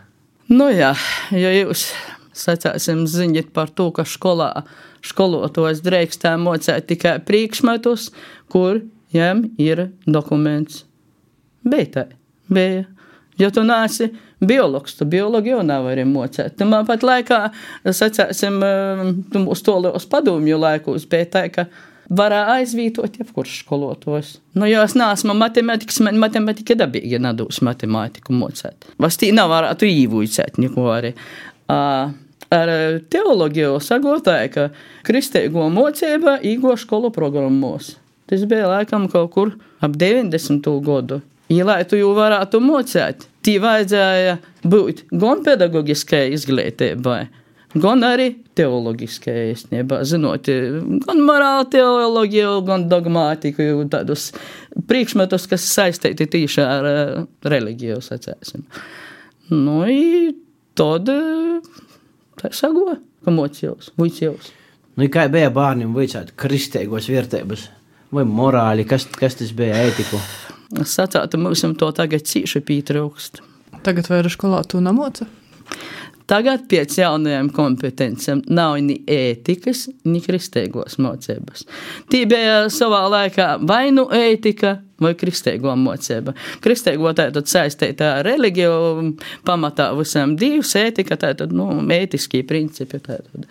Nu jā, ja jūs sacāsim ziņot par to, ka skolā skolotos drēkstā mocēt tikai priekšmetus, kur jām ir dokuments. Bija tā, bija. Ja tu nāsi biologs, tu biologi jau nevari mocēt. Tamā pat laikā, sacāsim, uz tolos padomju laikos bija tā, ka varā aizvītot jebkurš skolotos. Nu, jo es neesmu matematikas, man matematika dabīgi nedūs matemātiku mocēt. Vas tī nav varētu īvuicēt neko arī. Uh, Ar teologiju sagotāja, ka kristeigo mocība īgo skolu programmos. Tas bija laikam kaut kur ap deviņdesmito gadu. Ja lai tu jau varētu mocēt, tī vajadzēja būt gan pedagogiskai izglītībai, gan arī teologiskai īstenībā, zinot, gan morāla teologiju, gan dogmātiku, tādus priekšmetus, kas saistīti tīši ar religiju, sacēsim. Nu, i tad tā sago, ka mocījos, vuicījos. Nu, kā bija bārnim vuicāt kristeigos vērtības? Vai morāli? Kas, kas tas bija ētiku? Es sacātu, mums to tagad cīši pītraukst. Tagad vaira skolā tu namoca? Tagad pēc jaunajām kompetencijām nav ni ētikas, ni kristeigos mocības. Tī bija savā laikā vai nu ētika, vai kristeigo mocība. Kristeigo tātad saistīta ar religiju, pamatā visam divs, ētika tātad, nu, ētiskie principi tātad,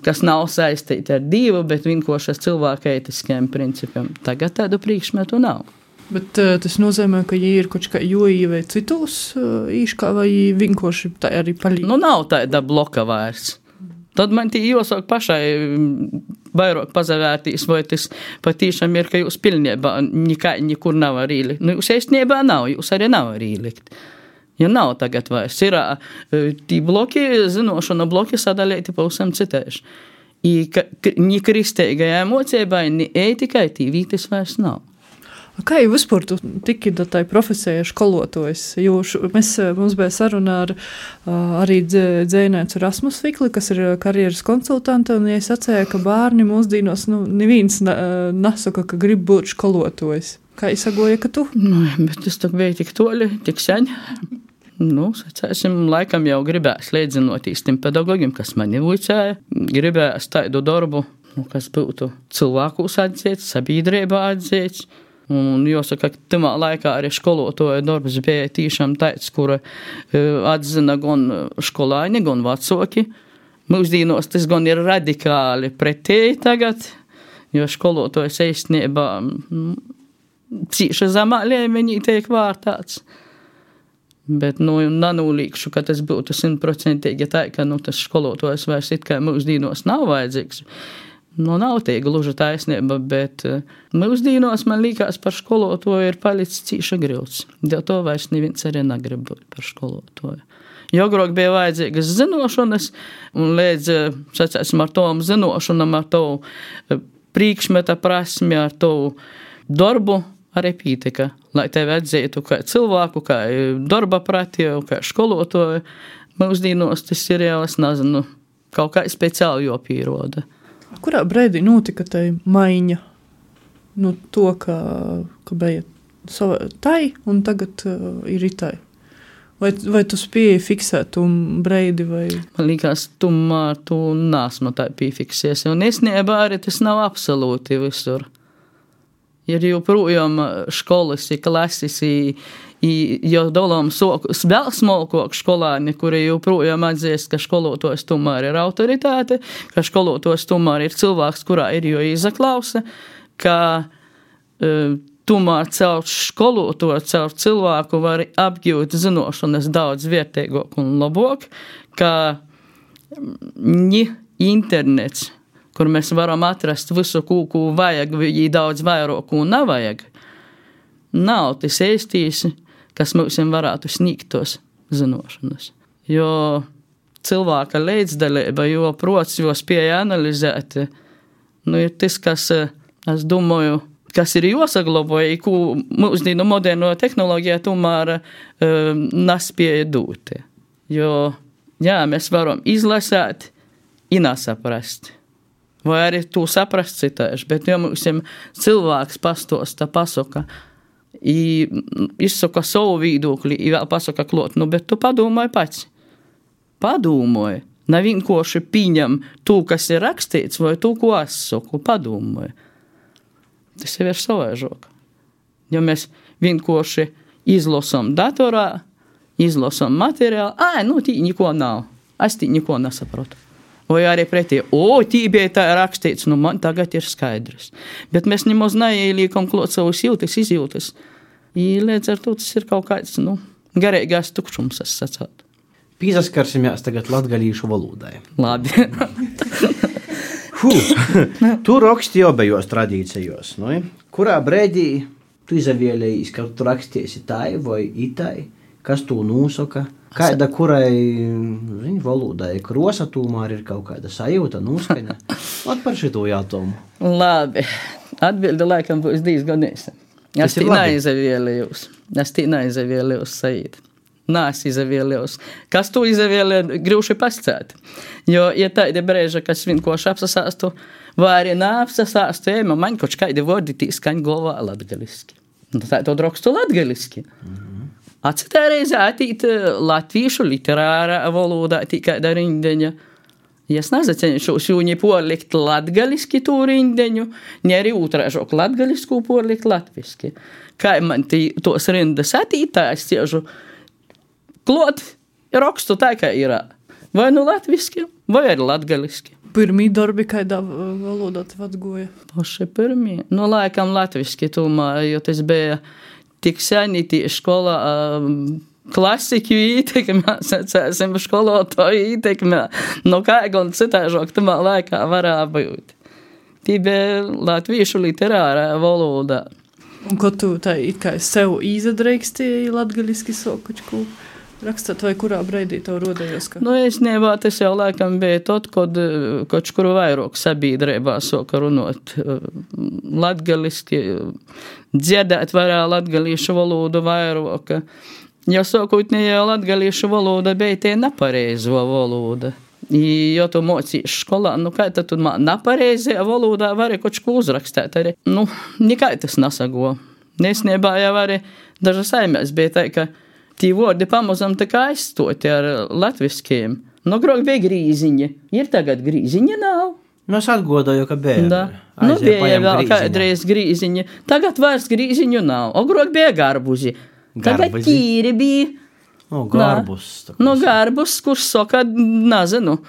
kas nav saistīti ar divu, bet vienkārši ar cilvēku ētiskiem principiem. Tagad tādu priekšmetu nav. Bet uh, tas nozīmē, ka ja ir kaut kā joī vai citos uh, īškā vai vienkārši tā arī palīdz? Nu, nav tāda bloka vairs. Tad man tī jāsāk pašai vairāk pazavērtīs, vai tas patīšām ir, ka jūs pilnībā nekā, nekur nav arī ielikt. Nu, jūs īstenībā nav, jūs arī nav arī ielikt. Ja nav tagad vairs, ir tī bloki, zinošana bloki sadalīti pavisam citējuši. I ka, ni kristeigajai mocībai, ni ētikai tī vītis vairs nav. Kā jau vispār tu tiki da tai profesēja skolotojs? Jo š, mēs, mums bija saruna ar arī dzēnēts Rasmus Fikli, kas ir karjeras konsultanta, un ja sacēja, ka bārni mūsdīnos, nu, neviens nesaka, ka grib būt skolotojs. Kā izsagoja, ka tu? Nu, bet tas tak bija tik toļi, tik seņ. Nu, sacēsim, laikam jau gribēs līdzinotīs tiem pedagogiem, kas mani vuicēja. Gribēs tādu darbu, nu, kas būtu cilvēkus atzīts, sabiedrībā atzīts. Un jāsaka, ka tamā laikā arī skolotoja darbs bija tīšām tāds, kura atzina gan skolāņi, gan vecāki. Mūsdīnos tas gan ir radikāli pretēji tagad, jo skolotojas īstenībā cīša zemā līmenī tiek vārtāts. Bet, nu, nanūlīkšu, ka tas būtu simtprocentīgi tā, ka, nu, tas skolotojas vairs it kā mūsdīnos nav vajadzīgs. Nu, nav tie gluži taisnība, bet mūsdīnos man liekas par skolotoju ir palicis cīša grūts. Dēļ to vairs neviens arī negrib būt par skolotoju. Jo agrāk bija vajadzīgas zinošanas, un līdz, sacēsim, ar tom zinošanam, ar to priekšmeta prasmi, ar to darbu arī pītika, lai tevi atzītu kā cilvēku, kā darba pratiju, kā skolotoju. Mūsdīnos tas ir jau, es nezinu, kaut kā speciāli jopīroda. Kurā brīdī notika tai maiņa? Nu, to, ka, ka bija sava tai, un tagad uh, ir itai. Vai, vai tu spēji fiksēt tu brīdi? Vai? Man liekas, tu, tu nesmu tā piefiksies. Un īstenībā arī tas nav absolūti visur. Ir joprojām skolas, klases, jo dolām sokus vēl smolkok skolāni, kuri joprojām atzīst, ka skolotojs tomēr ir autoritāte, ka skolotojs tomēr ir cilvēks, kurā ir jo izaklausa, ka uh, tomēr caur skolotāju, caur cilvēku var apgūt zinošanas daudz vērtīgāk un labāk, kā ni internets, kur mēs varam atrast visu, ko, ko vajag, vai daudz vairāk, ko nevajag. Nav tas īstīs, kas mums varētu sniegt tos zinošanas. Jo cilvēka līdzdalība, jo prots, jo spēja analizēt, nu, ir tas, kas, es domāju, kas ir jāsaglaboja, ko mūsdienu moderno tehnoloģijā tomēr uh, nespēja dot. Jo, jā, mēs varam izlasēt, nesaprast. Vai arī to saprast citāši, bet ja mums cilvēks pastosta, pasaka, izsaka savu viedokli, vēl pasaka klot, nu, bet tu padomāji pats. Padomāji. Nav vienkārši pieņem to, kas ir rakstīts, vai to, ko es saku, padomāji. Tas jau ir savaižāk. Ja mēs vienkārši izlasām datorā, izlasām materiālu, ā, nu, tī neko nav. Es tī neko nesaprotu. Vai arī pretī, o, tī bija tā rakstīts, nu, man tagad ir skaidrs. Bet mēs nemaz neieliekam klāt savus jūtas, izjūtas. I līdz ar to tas ir kaut kāds, nu, garīgās tukšums, es sacātu. Pīsaskarsimies tagad latgalīšu valodai. Labi. Tu raksti obejos tradīcijos, nu? Kurā brēdī tu izavielējies, ka tu rakstīsi tai vai itai, kas tu nosaka, kāda kurai, zini, valodai krosa tomēr ir kaut kāda sajūta, noskaņa. Ot par šito jātomu. Labi. Atbildi laikam būs diezgan īsa. Es tī neizavielējos. Es tī neizavielējos sajūt. Nā, es izavielējos. Kas tu izavielēji, grūši pascēt. Jo, ja tādi brēža, kas vienkārši apsasāstu, vai arī neapsasāstu, ejma, man kaut kādi vārdi tī skaņ galvā latgaliski. Tā to rakstu latgaliski. Mm-hmm. Atcitā reizē atīt latviešu literārā valodā tī kāda rindeņa. Ja es nezacenšos jūni porlikt latgaliski to rindeņu, ne arī utrāžok latgalisku porlikt latviski. Kā man tī tos rindas atīt, tā es ciežu klot, rakstu tā, kā ir. Vai nu latviski, vai arī latgaliski. Pirmī darbi kādā valodā tev atgoja? Paši pirmī. Nu, laikam latviski tomēr, jo tas bija tik seni tī skolā klasiku ītekmē, sacēsim skolotāju ītekmē. Nu, kā gan citāžāk tamā laikā varā būt. Tī bija latviešu literārā valodā. Un ko tu tā it kā sev izadreikstēji latgaliski sokučku rakstot, vai kurā breidī tev rodējos? Ka... Nu, es nebā, tas jau laikam bija tot, kod kaut kuru vairāk sabiedrībā soka runot latgaliski, dziedēt varā latgalīšu valodu vairāk. Ja sākotnējā latgalīšu valoda bija tie nepareizo valoda. I, jo tu mocīši skolā, nu kā tad tu nepareizajā valodā vari kaut ko uzrakstēt arī. Nu, nekai tas nesago. Nesniebā jau arī dažas saimēs bija tā, ka tī vārdi pamazam tā kā aizstoti ar latviskiem. Nu, grok bija grīziņa. Ir tagad grīziņa nav. Nu, es atgodoju, ka bija. Da. Nu, bija vēl kādreiz grīziņa. Tagad vairs grīziņu nav. O, grok bija garbuzi. Tagad tīri bija. O, garbus. Nu, garbus, kurš soka, nezinu.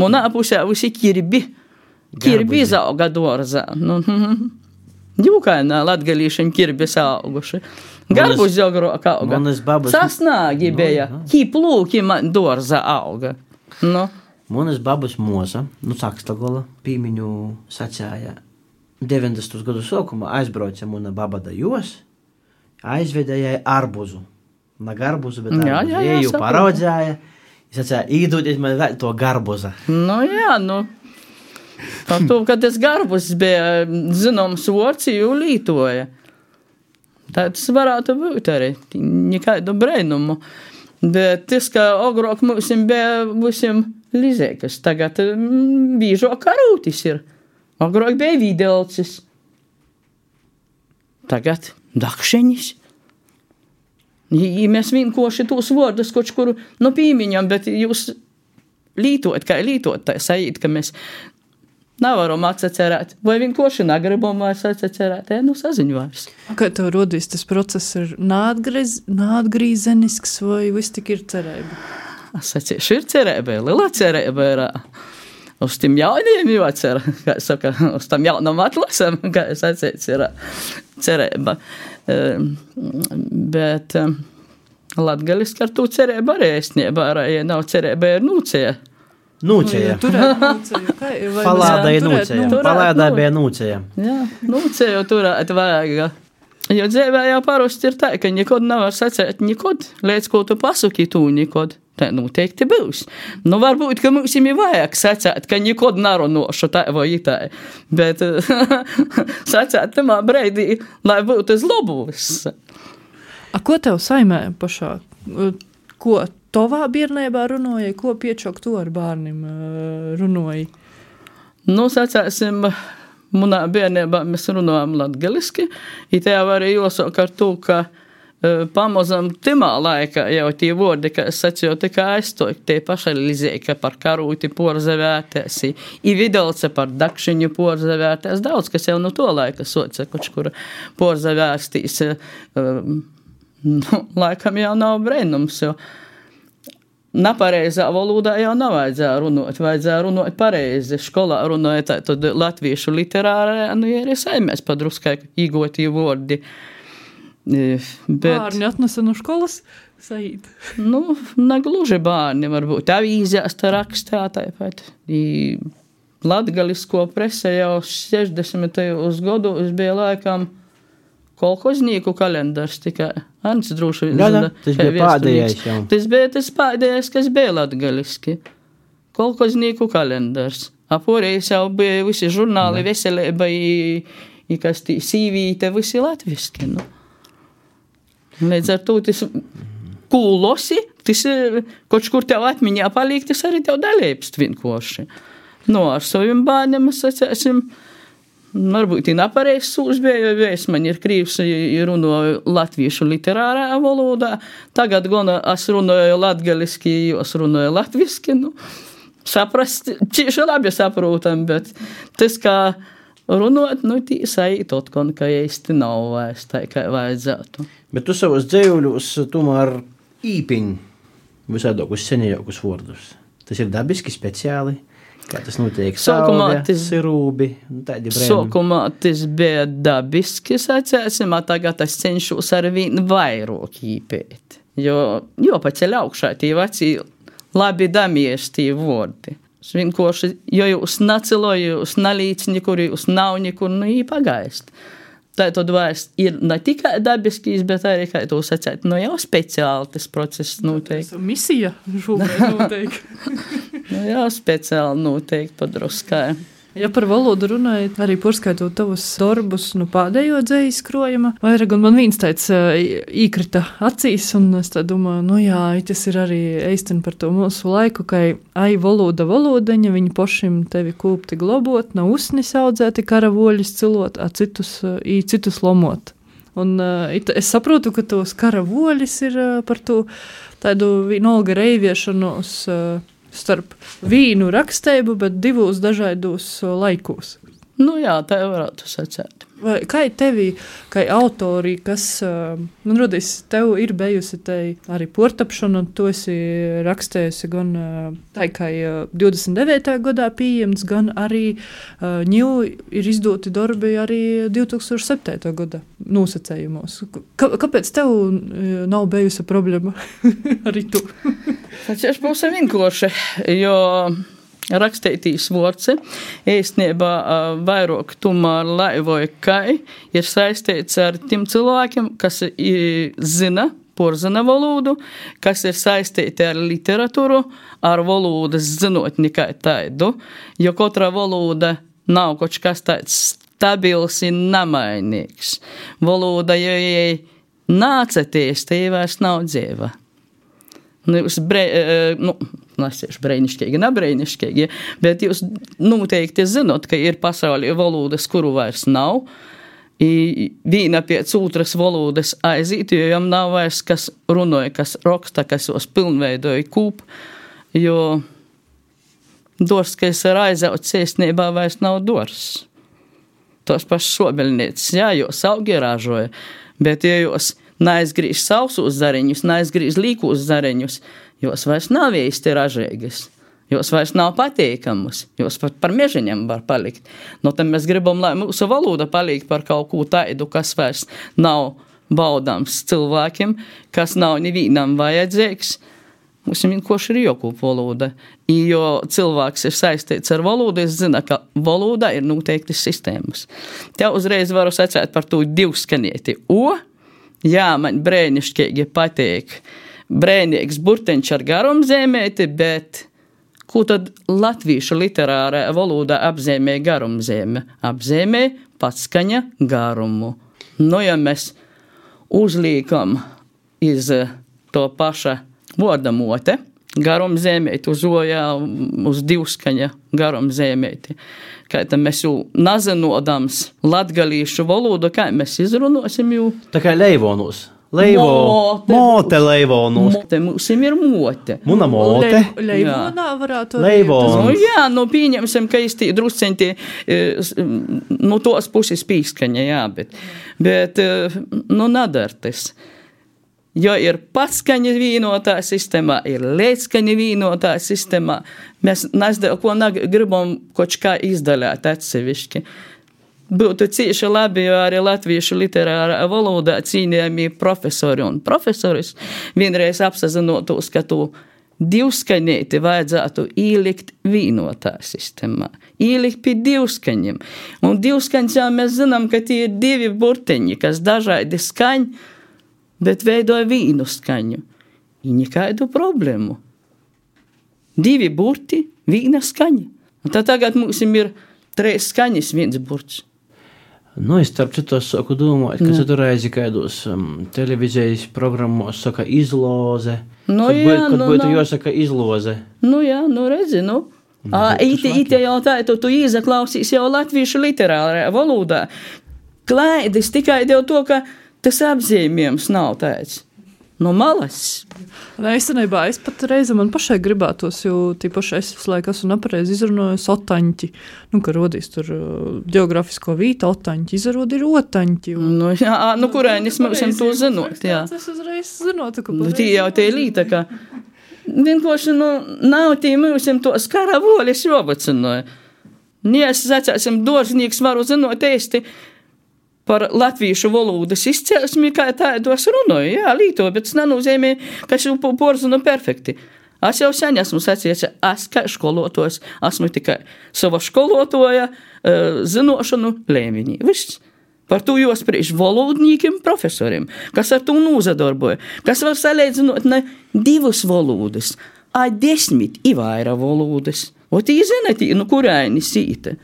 Munā pusē visi kirbi. Kirbi izauga dorzā. Nu, jūkainā latgalīšiem kirbis auguši. Garbus jau grok auga. Babas... Sasnāgi bija. No, no. Kiplūki man dorzā auga. Nu. Monas babas moza, nu Sakstagola, pīmiņu sacēja deviņdesmitos gadu sākumā aizbrauca mona baba da jos, aizvedēja arbuzu. Na garbuzu, bet jā, arbuzu. Jā, jā, Eju paraudzēja, sacēja, īdūties man vēl to garbuza. Nu jā, nu. Tā to, kad tas garbus bija zinoms vārds, jau lītoja. Tā tas varētu būt arī, nekādu brainumu. Bet tas, ka ogrāk mums bija visiem lizēkas, tagad bīžo karūtis ir. Ogrāk bija videlcis. Tagad dakšenis. I mēs vienkoši tos vārdus kaut kuru no pīmiņam, bet jūs lītot, kā lītot, tā sajūt, ka mēs nevaram atsacerēt. Vai vienkoši negribam vairs atsacerēt, ja, nu saziņu vairs. Kā tev rodīs tas process ir nātgriz, nātgrīzenisks vai viss tik ir cerēba? Es sacīšu, ir cerēba, liela cerēba ir. uz tiem jauniem jocer, kā es saka, uz tam jaunam atlasam, kā es atsēc, ir cerēba. Bet latgaliski ar tū cerēba arī esnieba, ja nav cerēba, ir nūcija. Nūcija. Palādai nūcija. Palādai bija nūcija. Jā, nūcija jau turēt vajag. Jo dzīvē jau parasti ir tā, ka nekod nevar sacēt nekod, līdz ko tu pasaki tū nekod. Tā noteikti būs. Nu, varbūt, ka mums ir vajag sacēt, ka nekod narunošu tā vai tā. Bet sacēt tamā breidī, lai būtu uz labus. A ko tev saimē pašā? Ko tovā bērnībā runāja, ko piečok to ar bērnim runāja? Nu, sacēsim, munā bērnībā mēs runājam latgaliski, i te jau arī jāsaka ar to, ka uh, pamazam timā laikā jau tie vordi, ka es sacīju, tikai aizstoju, tie pašalizēja, ka par karūti porzavētēs, i vidalce par dakšiņu porzavētēs, daudz, kas jau no to laika soca, koč, kur porzavēstīs, uh, nu, laikam jau nav brēnums, jo nepareizā valodā jau nevajadzēja runāt, vajadzēja runāt pareizi. Školā runāja tā, tad latviešu literārā, nu, ja arī saimēs padruskai īgotī vordi. Bet, bārni atnesa no školas, Saīt? Nu, negluži bārni, varbūt avīzēs tā rakstā, tāpat. I latgalisko prese jau sešdesmitajos gados bija laikam kolhoznieku kalendars tikai. Ants droši vien. Jā, tas bija pēdējais jau. Tas bija tas pēdējais, kas bija latgaliski. Kolhoznieku kalendars. Aporējais jau bija visi žurnāli, veselība, i, i kas tī sīvīte, visi latviski. Nu. Līdz ar to tas kūlosi, tas koč kur tev atmiņā palīk, tas arī tev dalībst vienkoši. Nu, ar saviem bērniem es sacēsim, varbūt ir nepareizs sūs bija, jo es man ir krīvs, runāju latviešu literārā valodā. Tagad gan es runāju latgaliski, es runāju latviski. Nu, saprast, cieši labi saprotam, bet tas, kā runāt, nu, tī saīt otkon, ka īsti nav vairs tā, kā vajadzētu. Bet tu savos dzējuļus tomēr īpiņ visādākus senējākus vārdus. Tas ir dabiski, speciāli. Kā tas notiek? Sauga, sirūbi, tādi brēnumi. Sākumā tas bija dabiski, sacēsim, a tagad es cenšos ar vien vairāk īpēt. Jo, jo paceļ augšā tie veci labi damies tie vordi. Vienkārši, jo jūs nacilo, jūs nalīc nekur, jūs nav nekur, nu ī pagaist. Tā tad vairs ir ne tikai dabiskīs, bet arī, kā tu sacēt, nu jau speciāli tas process noteikti. Misija šobrīd noteikti. Nu jā, speciāli noteikti padruskai. Ja par valodu runājot, arī porskaitot tavus darbus, nu pēdējo dzējas krojuma, vairāk, un man viens tāds īkrita acīs, un es tā domāju, nu jā, tas ir arī eistini par to mūsu laiku, ka ai valoda valodeņa, viņi pošim tevi kūpti globot, nav usnis audzēti karavoļus cilot, a citus, i citus lomot. Un it, es saprotu, ka tos karavoļus ir par to tādu vienolga reiviešanos starp vīnu raksteibu, bet divos dažādos laikos. Nu jā, tā varētu sacēt. Vai kā tevi, kā autori, kas, man rodīs, tev ir bijusi te arī portapšana, tu esi rakstējusi gan tā, kā divdesmit devītajā gadā pieejams, gan arī ņū ir izdoti darbi arī divi tūkstoši septītajā gadā nosacējumos. Kā, kāpēc tev nav bijusi problēma arī tu? Tas jau būs vienkārši, jo rakstētīs vorci, īstenībā vairāk tomēr laivoja kai ir saistīts ar tiem cilvēkiem, kas zina porzina valodu, kas ir saistīti ar literatūru, ar valodas zinotni kā tādu, jo katra valoda nav kaut kas tāds stabils un nemainīgs. Valoda, jo jai nācaties, tie vairs nav dzīva. Nu, jūs bre, nu, nesiešu brēnišķīgi, nebrēnišķīgi, bet jūs noteikti zinot, ka ir pasaulī valodas, kuru vairs nav, i vīna pēc otras valodas aiziet, jo jām nav vairs, kas runoja, kas raksta, kas jūs pilnveidoja kūp, jo dors, kas ir aizauts iesnībā, vairs nav dors. Tos pašs sobeļniecis, jā, jūs augi ražoja, bet ja jūs neaizgrīž sausus zariņus, neaizgrīž līkus zariņus, jos vairs nav īsti ražīgas. Jos vairs nav pateikamas, jos pat par mežiņam var palikt. No tam mēs gribam, lai mūsu valoda paliek par kaut ko taidu, kas vairs nav baudāms cilvēkiem, kas nav nevīnam vajadzīgs. Mums ir vienkārši ir jokūp valoda. Jo cilvēks ir saistīts ar valodu, es zinu, ka valoda ir noteikti sistēmas. Te uzreiz varu sacēt par to divskanieti. O, jā, man brēnišķīgi pateik. Brēnīgs burteņš ar garumzīmēti, bet ko tad latviešu literārā valodā apzīmē garumzīme? Apzīmē patskaņa garumu. Nu, ja mēs uzliekam iz to paša vordamote, garumzīmēti uz ojā, uz divskaņa garumzīmēti, kā tad mēs jau nazinodams latgalīšu valodu, kā mēs izrunosim jau? Tā kā leivonus. Leivo, mote, mote leivonus. Mote, mūsim ir mote. Muna mote. Le, leivonā varētu. Leivonus. Nu, jā, nu pieņemsim, ka īsti drusceņti nu tos puses pīskaņa, jā, bet, bet nu nadartis. Jo ir patskaņa vīnotā sistēmā, ir leitskaņa vīnotā sistēmā. Mēs nesdēļ, ko gribam koč kā izdaļāt atsevišķi. Būtu cīši labi, jo arī latviešu literārā valodā cīnījami profesori un profesoris vienreiz apsazinotos, ka tu divskaņēti vajadzētu īlikt vīnotā sistēmā. Īlikt pie divskaņiem. Un divskaņā mēs zinām, ka tie ir divi burteņi, kas dažādi skaņ, bet veidoja vīnu skaņu. I nekādu problēmu. Divi burti, vīna skaņa. Un tad tagad mums ir trīs skaņas, viens burts. Nu, es starp citos saku domāt, ka tu reizi kaidos um, televīzijas programmos saka izloze. Nu, kad jā, būtu, kad nu, būtu nu. jāsaka izloze. Nu, jā, nu, redzi, nu. Ā, ite, ite jau tā, tu, tu izaklausīs jau latviešu literārā valodā. Klaidis tikai dēļ to, ka tas apzīmējums nav tāds. No malas. Nē, īstenībā es pat reizi man pašai gribētos, jo tīpaši es visu laiku esmu nepareizi izrunājis otaņķi. Nu, ka rodīs tur geogrāfisko vīta otaņķi, izrod ir otaņķi. Un... Nu, jā, nu, kurēnis mēs to zinot, jā. Es uzreiz zinotu, ka... Nu, tī jau tie līta, ka vienkārši, nu, nav tī mūsim to skaravolis jobacinoja. Nē, es sacāsim, dorznieks varu zinot eisti, par latviešu valodas izcelsmi, kā tādos runāju, jā, līto, bet tas nenozīmē, ka es jau porzinu perfekti. Es jau sen esmu sacījis, es kā školotos, esmu tikai sava školotoja zinošanu līmenī. Viss. Par to jāspriež valodniekiem, profesoriem, kas ar to nozadarboja, kas var salīdzinot ne divas valodas, a desmit i vaira valodas. O tī zinat, nu kurēni sīta.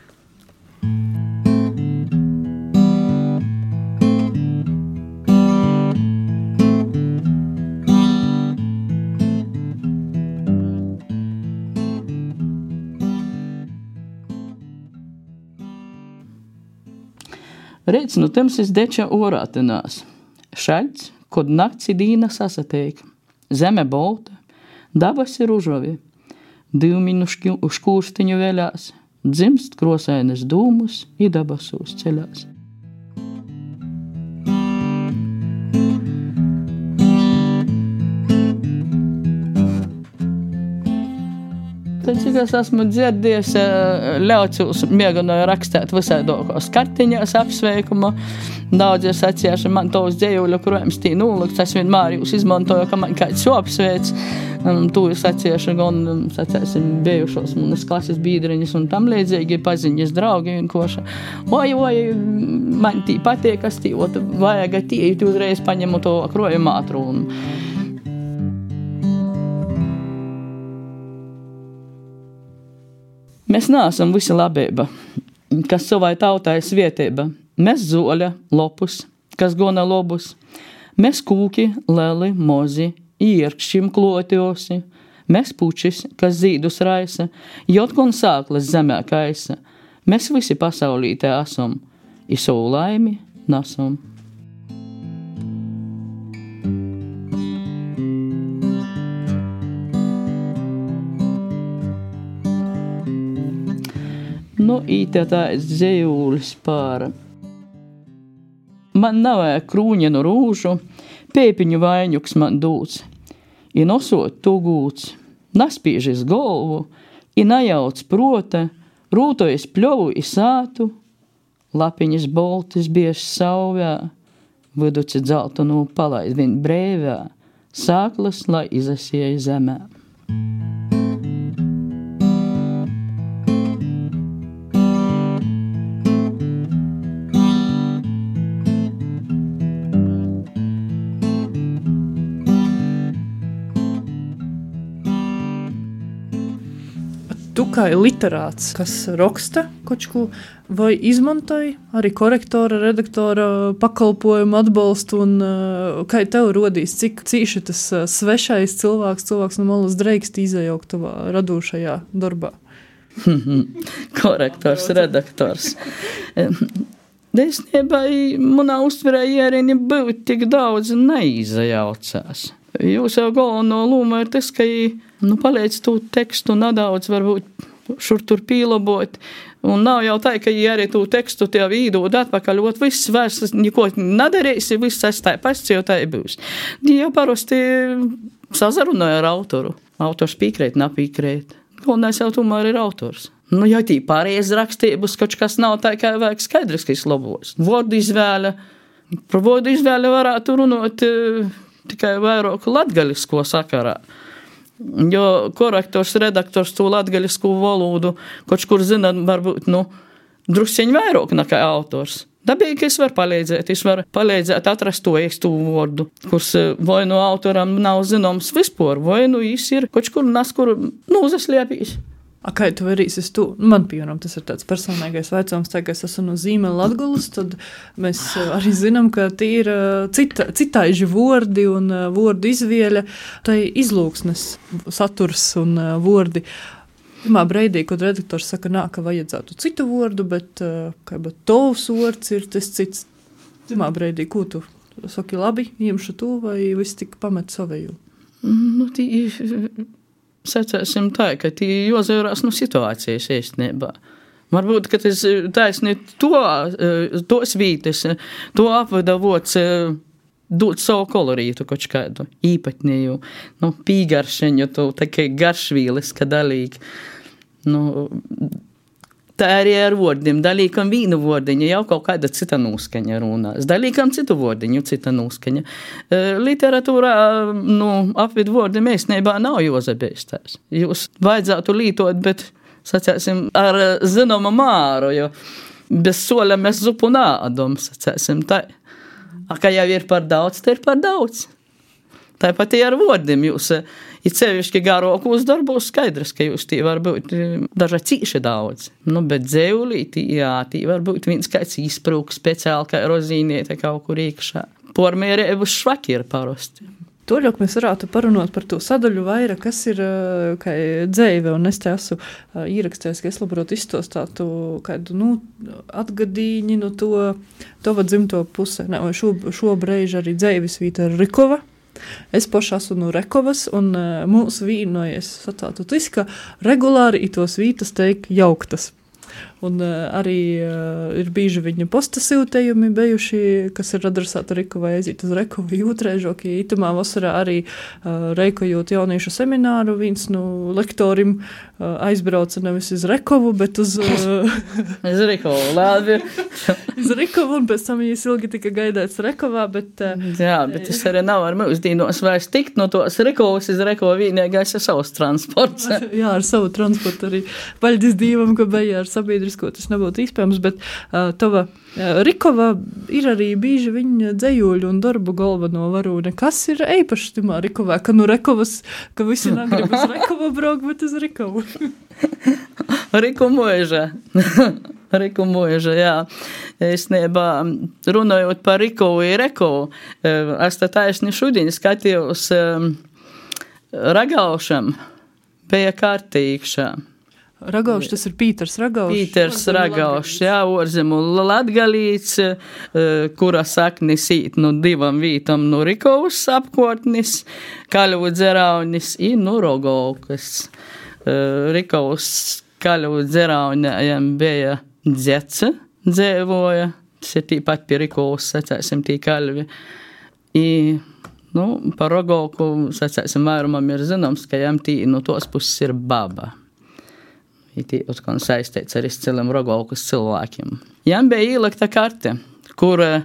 Reiz nu tems es deča orātinās. Šaļts, kod nakts i dīna sasateik. Zeme bolta, dabas ir užovi. Divmiņu škūrstiņu vēļās. Dzimst krosainas dūmus i dabasūs ceļās. Tad, cik es esmu dzirdējis, ļaucūs mēģināju rakstīt visādokos kartiņās apsveikumu. Daudz ir sacījuši, man tos dzējuļu, kurojums tī nūlikts, es vienmēr jūs izmantoju, ka man kāds jau apsveic. Tu ir sacījuši, gan, sacīsim, bijušos manas klases biedriņas un tam līdzīgi paziņas draugi vienkoši. Oi, oi, man tī patīk, kas tī, ot, vajag tī, tu uzreiz paņemu to krojumu ātrūnu. Mēs neesam visi labība, kas savai tautai svietība. Mēs zoļa, lopus, kas gona lobus. Mēs kūki, leli, mozi, ierkšķim klotiosi. Mēs pučis, kas zīdus raisa, jotkon sāklas zemē kaisa. Mēs visi pasaulītē esam, i savu laimi nesam. Nu, īte tāds dzējūlis par. Man nav krūņenu rūžu, pēpiņu vaiņuks man dūts. I nosot tu gūts, naspīžis golvu, i najauc prota, rūtojas pļovu i sātu, lapiņas boltis biež sauvē, viduci dzeltonu palaid vien brēvē, sāklas, lai izasieja zemē. Tu kā literāts, kas raksta kočku, vai izmantoji arī korektora, redaktora pakalpojumu atbalstu, un uh, kā tev rodīs, cik cīši tas uh, svešais cilvēks, cilvēks no malas dreikst izajaukt tavā radošajā darbā? Korektors, redaktors. Desnībā, manā uztverē ierēni būt tik daudz neizajaucās. Jūs jau galveno lūma ir tas, ka nu, paliec tu tekstu nedaudz, varbūt šur tur pīlabot, un nav jau tā, ka ja arī tu tekstu tev īdod atpakaļ, ot viss vairs neko nedarīsi, viss es tā pasts, jau tā būs. Ja parasti sazarunāja ar autoru, autors pīkrēt, napīkrēt, galvenais jau tomēr ir autors. Nu, ja tī pareizi rakstības, kaut kas nav tā, kā vajag skaidrs, ka izlabos. Vordu izvēle, par vordu izvēle varētu runāt tikai vairāk latgalisko sakarā. Jo korektors, redaktors to latgalisko valodu, kaut kur zina, varbūt, nu, drusciņ vairāk nekā autors. Dabīgi, ka es varu palīdzēt, es varu palīdzēt atrast to īstu vārdu, kurs vai no autoram nav zināms vispār, vai nu jis ir kaut kur nas, kur, nu, uzasliepīs. A, kā tu varīsi tu? Man, piemēram, tas ir tāds personīgais vaicājums, tā kā es esmu no Zīmēla Latgulas, tad mēs arī zinām, ka tie ir cita, citaiži vordi un vordu izvēle, tai izlūksnes saturs un vordi. Pirmā breidī, kad redaktors saka, nā, ka vajadzētu citu vordu, bet kā bet tovs vords ir tas cits. Pirmā breidī, ko tu saki, labi, ņemšu to vai viss tik pamet savēju? Nu, tī... Sacēsim tā, ka tī jozērās no situācijas īstenībā. Varbūt, ka tas taisni to, tos vītes, to apvada vots dot savu kolorītu kaut kādu īpatnēju, nu, pīgaršeņu, to takai garšvīles, ka dalīgi. Nu, tā arī ar vordiem. Dalīkam vīnu vordiņa jau kaut kāda cita nūskaņa runās. Dalīkam citu vordiņu cita nūskaņa. Literatūrā, nu, apvid vordi mēsnībā nav jozabēstās. Jūs vajadzētu lītot, bet, sacēsim, ar zināmu māru, jo bez soļa mēs zupu nādom, sacēsim, tā. A, ka jau ir par daudz, te ir par daudz. Tāpat ir ar vordiem. Jūs ir sevišķi garākos darbos skaidrs, ka jūs tī var būt dažā cīši daudz. Nu, bet dzēulī tī, jā, tī var būt viens kāds izprūks speciāli, kā rozīniete kaut kur iekšā. Pormērēbus švaki ir parasti. Toļok mēs varētu parunot par to sadaļu vairāk, kas ir kā dzēve, un es te esmu īrakstējis, ka es labprāt izstostātu kādu, nu, atgadīņi no to, tova dzimto puse. Ne, šo, šo breiži arī dzēvis vīta Rikova. Es paši esmu no Rekovas, un uh, mūsu vīnojies satātu tas, ka regulāri itos vītas teik jauktas. Un uh, arī uh, ir bīži viņa postasiltējumi bijuši, kas ir adresāti Rikovai aiziet uz Rekovu jūtrēžoki. Itamā vasarā arī uh, reikojot jauniešu semināru, viens no lektorim uh, aizbrauca nevis uz Rekovu, bet uz... Uh, uz Rikovu, labi. uz Rikovu, un pēc tam viņas ilgi tika gaidēts Rekovā, bet... Uh, Jā, bet tas arī nav ar mūsdīnos vairs tikt no tos Rikovas uz Rekovu vienīgais ar savus transports. Jā, ar savu transportu arī. Paļdis Dīvam, ka beja ar sabiedrisko, tas nebūtu iespējams, bet uh, tava uh, Rikova ir arī bīži viņa dzējuļu un darbu galveno varūne. Kas ir eipaši timā Rikovā? Ka nu Rekovas, ka visi negrib uz Rekovu braukt, bet uz Rikovu. Riku mūža. Riku mūža, jā. Es nebā runājot par Rikovu i Rekovu, es tā taisni šodien skatījos um, Ragaušam, bija kārtīgšā. Ragauš, tas ir Pīters Ragauš. Pīters Ragauš, jā, orzemu latgalīts, kura saknis īt no divam vītam no Rikovas apkārtnis, Kaļvu dzeraunis i no Rogovkas. Rikovas Kaļvu dzeraunējam bija dzece, dzēvoja, tas ir tīpat pie Rikovas, sacēsim, tī Kaļvi. I, nu, par Rogovku, sacēsim, vairumam ir zināms, ka jām tī no tos puses ir baba. Itī utkon saistīts ar izcilim Rogolkas cilvēkiem. Jām bija īlikta karte, kur uh,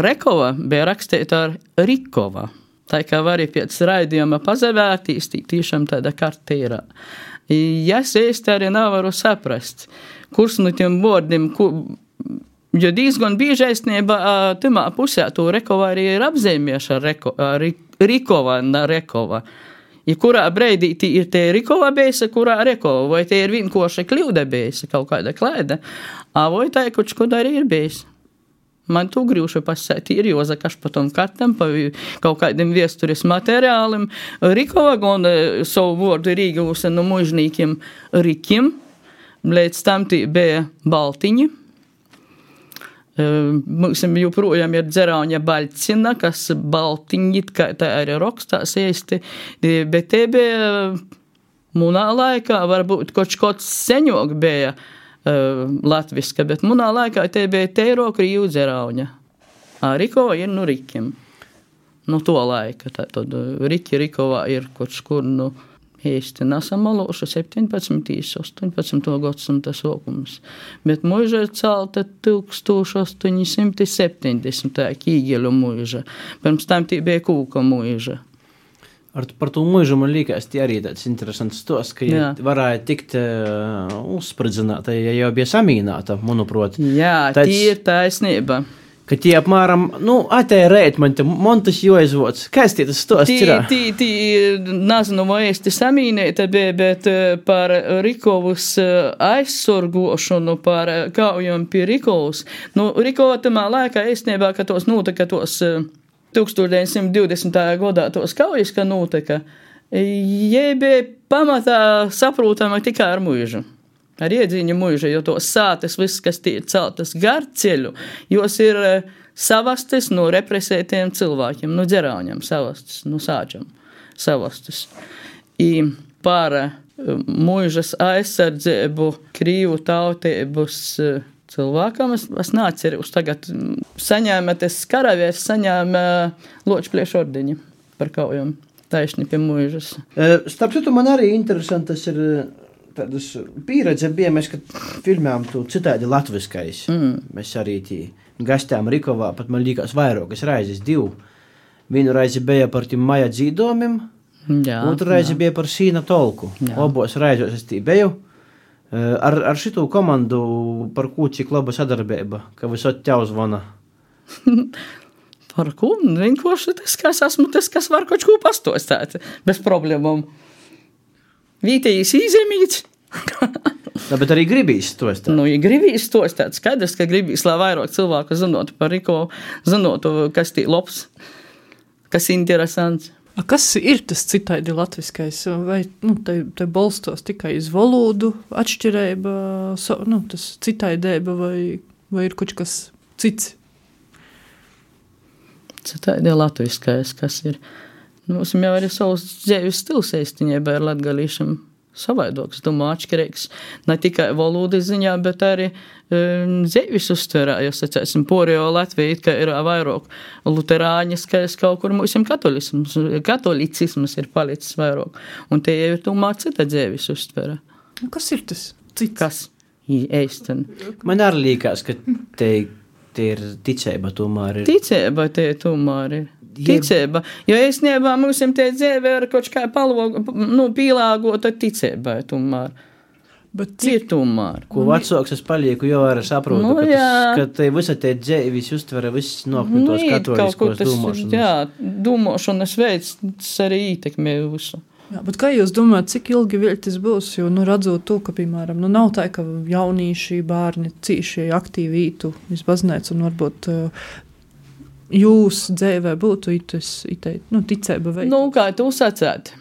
Rekova bija rakstīta ar Rikova. Tā kā var arī pēc raidījuma pazavērtīs, tī tīšām tāda karte ir. Ja es īsti arī nevaru saprast, kurs no tiem vārdiem, kur jo diezgan bieži aizsnieba timā pusē to Rekova arī ir apzīmieši ar Reko, Rikova, ne Rekova. I kurā breidī tī ir te Rikova beisa, kurā Rekova, vai te ir vienkoša kļūda beisa, kaut kāda klaida, a vai tā kaut ko arī ir beisa. Man tu grīvšu pasēt, ir Jozakaš pa tom kartam, pa kaut kādiem viesturis materiālim. Rikova gan savu vārdu ir īgūsa no mužnīkiem Rikim, līdz tam tī bija Baltiņi. Mums joprojām ir Dzerauņa Baļcina, kas Baltiņi, kā tā arī rakstās īsti, bet te bija munā laikā, varbūt kaut kāds seņok bija uh, latviska, bet munā laikā te bija teiro Krīvu Dzerauņa. Rikova ir no Rikim. No to laika. Tad Riki Rikovā ir kaut kur, nu, īsti nesamaloša septiņpadsmitais, astoņpadsmitais gadsimta sākums. Bet mūža ir celta tūkstoš astoņi simti septiņdesmitā Kīgeļu mūža. Pirms tam tī bija Kūka mūža. Ar, par to mūžu man liekas, tie arī tāds interesants stos, ka ja varēja tikt uh, uzspridzināta, ja jau bija samīnāta, manuprāt. Jā, tāds... tī ir taisnība. Ka tie apmēram, nu, atē rēt man te, man tas joizvots. Kāds tie tas stosts ir? Tī, tī, tī, nezinu, vai esti samīnēta, bet par Rikovas aizsorgošanu, par kaujām pie Rikovas. Nu, Rikova tamā laikā īstenībā, ka tos notika tos tūkstoš deviņsimt divdesmitajā gadā tos kaujas, ka notika, jai bija pamatā saprotama tikai ar mūžu. Ar iedzīņu mūža, jo tos sātas, viss, kas tie ir celtas gar ceļu, jos ir savastis no represētiem cilvēkiem, no dzerauņiem savastis, no sāčam savastis. I par mūžas aizsardzību Krīvu tautības cilvēkam, es, es neatceros tagad, saņēma tas karavies, saņēma Ločpliešu ordeņi par kaujām, taisni pie mūžas. Starp citu, man arī interesantas ir tādas pieredze bija, mēs, kad filmējām tu citādi latviskais. Mm. Mēs arī tī gastējām Rikovā, pat man liekas vairākas raizes, divu. Vienu raizi bija par tiem maja dzīdomiem, jā, otru raizi jā. Bija par sīna tolku. Jā. Obos raizos es tī biju. Ar, ar šitu komandu par ko cik laba sadarbība, ka visot tev zvana? Par ko? Vienkārši tas, kas esmu, tas, kas var kaut ko pastostāt, bez problēmām. Vītējīs īzemīts. Tā, bet arī gribīs stostāt. Nu, ja gribīs stostāt, skaidrs, ka gribīs, lai vairāk cilvēku zinotu par Rikovu, zinotu, kas tī labs, kas interesants. A, kas ir tas citādi latviskais? Vai nu, te, te balstos tikai uz valodu atšķirība, so, nu, tas citāidēba vai, vai ir kaut kas cits? Citādi latviskais, kas ir... Mums jau arī savs dzīves stils īstenībā ir latgalīšam savaidoks, domāju, atšķirīgs. Ne tikai valodas ziņā, bet arī um, dzīves uztverā, jo, sacēsim, porējo Latviju, ka ir vairāk luterāņas, ka es kaut kur mūsim katolisms, katolicisms ir palicis vairāk. Un te jau ir tomēr cita dzīves uztverā. Kas ir tas cits? Kas? Eisten. Man arī liekas, ka te, te ir ticība tomēr ir. Ticība te tomēr ir. Ticība, jo īstenībā mums te dzīve ir kaut kā palvoga, nu, pīlāgota ticībai tomēr. Bet ir tomēr. Ko vecāks es palieku, jau arī saprotu, nu, ka, tas, ka te visa te dzīvis uztvera viss nāk no tos katoliskos domāšanas. Jā, domāšanas veids arī ietekmē visu. Jā, bet kā jūs domājat, cik ilgi vēl tas būs? Jo, nu, redzot to, ka, piemēram, nu, nav tā, ka jaunīši bērni cīši aktīvi ītu iz baznīcu un varbūt uh, jūs dzīvē būtu itas, itai, nu, ticēba veidu? Nu, kā tu sacēt?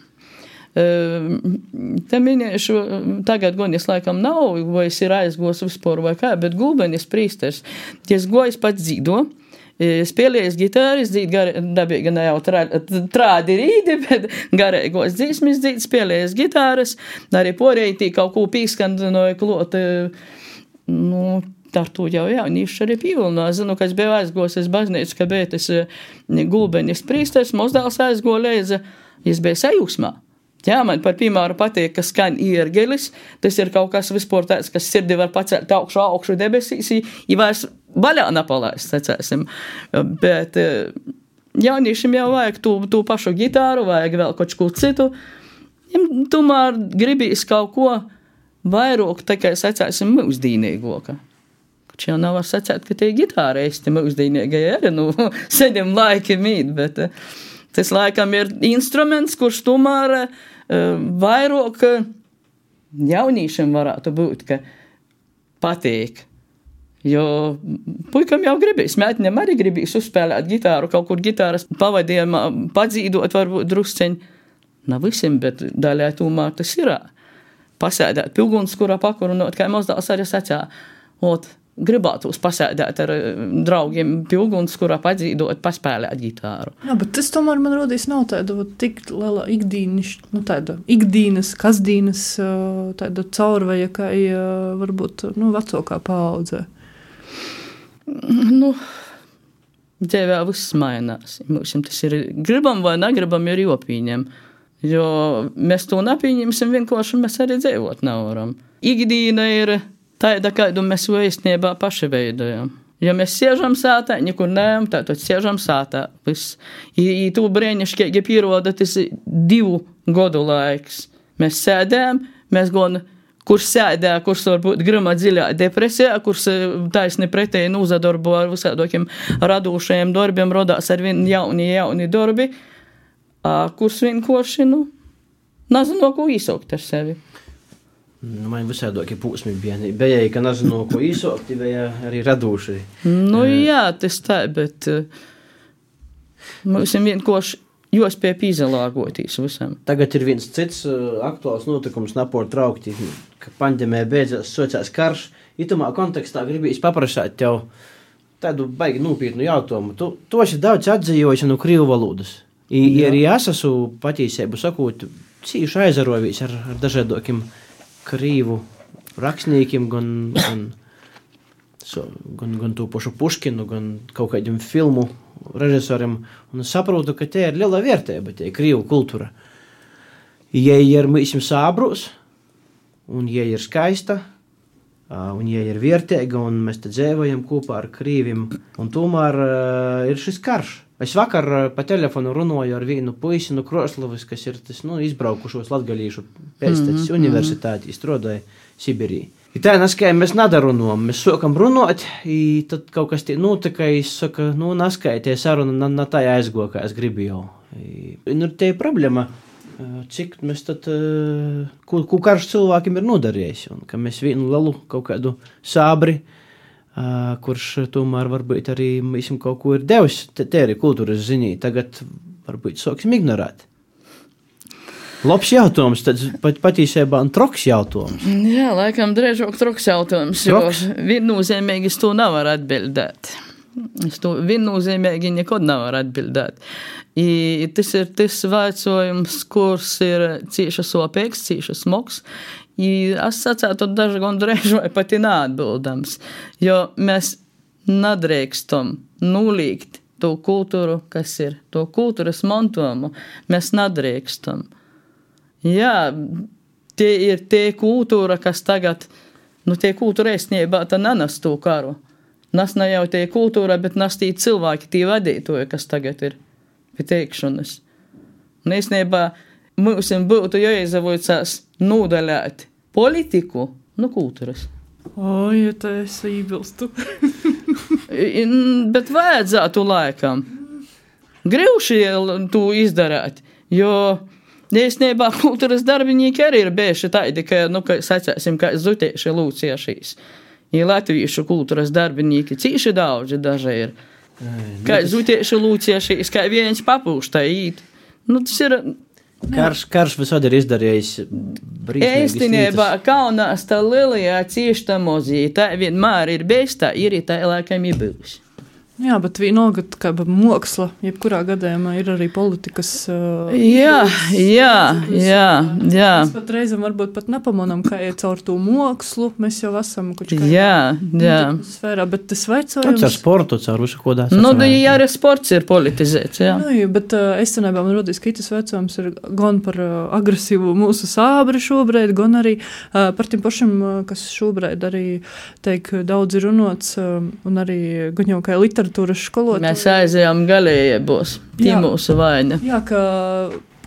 Te minēšu, tagad gan es laikam nav, vai es ir aizgos vispār vai kā, bet Gulbenis prīsters, es gojas pats dzīdo, spēlējas gitāris, dzīt gar, dabīgi ne jau trā, trādi rīdi, bet garīgos dzīsmis dzīt, spēlējas gitāras, arī porēji kaut ko pīskandinoja klot, nu, ar to jau jaunieši arī pīvilno. Es zinu, ka es biju aizgos, es baznīcu, ka bija tas Gulbenis prīsters, mozdēls aizgo leiza, es biju sajūsmā. Jā, man par piemēru patīk, ka skan iergelis. Tas ir kaut kas vispār tāds, kas sirdi var pacelt augšu, augšu debesīs, ja vairs baļā napalaist, sacēsim. Bet jauniešiem jau vajag tū, tū pašu gitāru, vajag vēl kaut ko citu. Tomēr gribīs kaut ko vairāk, tikai sacēsim mūsdīnīgoka. Kač jau nav var sacēt, ka tie gitāra esti mūsdīnīgai arī, nu, seņem laiki mīt, bet tas laikam ir instruments, kurš tomēr uh, vairāk uh, jaunīšiem varētu būt, ka patīk. Jo puikam jau gribīs, mētiņam arī gribīs uzspēlēt gitāru, kaut kur gitāras pavadījumā padzīdot varbūt drusceņi. Nav visiem, bet daļai tomēr tas ir. Pasēdēt pilguns, kurā pakurunot, kā mazdāls arī sacā. Ot, gribētos pasēdēt ar draugiem pilguns, kurā padzīdot, paspēlēt gitāru. Jā, bet tas tomēr man rodīs nav tāda tik liela ikdīniš, nu tāda ikdīnas, kasdīnas, tāda caurveja, kā varbūt, nu, vecākā paaudzē. Nu, dzīvē viss mainās. Mums tas ir gribam vai negribam ir jopīņem. Jo mēs to nepieņemsim vienkārši, mēs arī dzīvot nevaram. Ikdīna ir tāda, kādu mēs vēstniebā paši veidojam. Ja mēs siežam sātā, nekur neejam, tātad siežam sātā. Viss. I, i tu brēniškīgi pieroda, tas ir divu godu laiks. Mēs sēdējam, mēs gan, kurš sēdē, kurš varbūt grima dziļā depresijā, kurš taisni pretēji nūzadarbo ar visādokiem radošajiem darbiem, rodās ar vien jauni, jauni darbi. Kurš vienkārši, nu, nezinu, ko īsaukt ar sevi. Nu, man visādokie pūsmi bija. Bija, ka nezinu, ko īsaukt, bija arī radoši. Nu, jā, tas tā, bet mums vienkārši jāspēj pīzelāgoties visam. Tagad ir viens cits aktuāls notikums, napor traukti, ka pandēmija beidzās, sociās karš. Itumā kontekstā gribīs paprasāt tev tādu baigi nopietnu jautājumu. Tu toši daudz atzījoši no krīvu valodas. I, I arī es esmu patīsēbu sakot, cīši aizarojis ar, ar dažādokiem krīvu rakstniekiem, gan, gan, so, gan, gan to pašu Puškinu, gan kaut kādiem filmu režisoriem. Un es saprotu, ka te ir liela vērtība, te ir krīvu kultūra. Ja ir mūsim sābrus, un ja ir skaista, un ja ir vērtīga, un mēs te dzīvojam kopā ar krīvim, un tomēr uh, ir šis karš. Es vakar pa telefonu runāju ar vienu puisi no Kroslavas, kas ir tas, nu, izbraukušos latgalīšu pēctecis mm-hmm. universitātī, strādāja Sibirī. I tā naskāja, mēs nadarunām, mēs sākam runāt, i tad kaut kas tie notika, es saka, nu, naskāja tie saruna, na, na tā aizgo, kā es gribēju. Nu, te ir problēma, cik mēs tad, ko, ko karš cilvēkiem ir nodarījis, un ka mēs vienu lielu kaut kādu sābri, Uh, kurš tomēr varbūt arī mēs kaut ko ir devis, te, te arī kultūras ziņī, tagad varbūt sāksim ignorēt. Labs jautājums, tad pat, patīsībā un troks jautājums. Jā, laikam drēžok troks jautājums, troks? Jo viennozīmīgi es to nevaru atbildēt. Es to viennozīmīgi nekad nevaru atbildēt. I, tas ir tas vaicojums, kurs ir cīša sopīgs, cīša smogs. I es sacētu daži gan drēž vai pati neatbildams, jo mēs nedrīkstam nulīgt to kultūru, kas ir, to kultūras mantojumu, mēs nedrīkstam. Jā, tie ir tie kultūra, kas tagad, nu tie kultūra īstenībā tā nenes to karu. Nas ne jau tie kultūra, bet nas tie cilvēki, tie vadītoji, kas tagad ir pie teikšanas. Un īstenībā mūsim būtu jāizavoicās nūdaļāt politiku no kultūras. O, ja tā es ībilstu. Bet vajadzētu laikam grivši to izdarāt, jo īstenībā kultūras darbinieki arī ir bieži tādi, ka, nu, ka sacēsim, kā zutieši lūciešīs. Ja latviešu kultūras darbinieki cīši daudzi daži ir. Kā zutieši lūciešīs, kā viens papūštā īt. Nu, tas ir... Karš, karš visādi ir izdarījis brīsmīgas Īstenībā Kaunās tā lielajā cieši tā mozī, tā vienmēr ir bijis, tā ir tā laikam ir bijusi. Jā, bet vienalga, kā māksla, jebkurā gadījumā ir arī politikas. Uh, jā, jā, jā, jā. Mēs pat reizam varbūt pat nepamanām, kā iet caur to mākslu. Mēs jau esam kaut kā jā, jā. sfērā, bet tas vaicojums. Caur sportu, caur visu kodā. Nu, jā, arī sports ir politizēts, jā. Nu, jā, bet uh, es cenībā man rodīs, ka tas vaicojums ir gan par uh, agresīvu mūsu sābri šobrīd, gan arī uh, par tiem pašiem, uh, kas šobrīd arī teik daudz ir runots, uh, un arī gan jau kā literatūra. Mēs aizējām galējībos, tī mūsu vaina. Jā, ka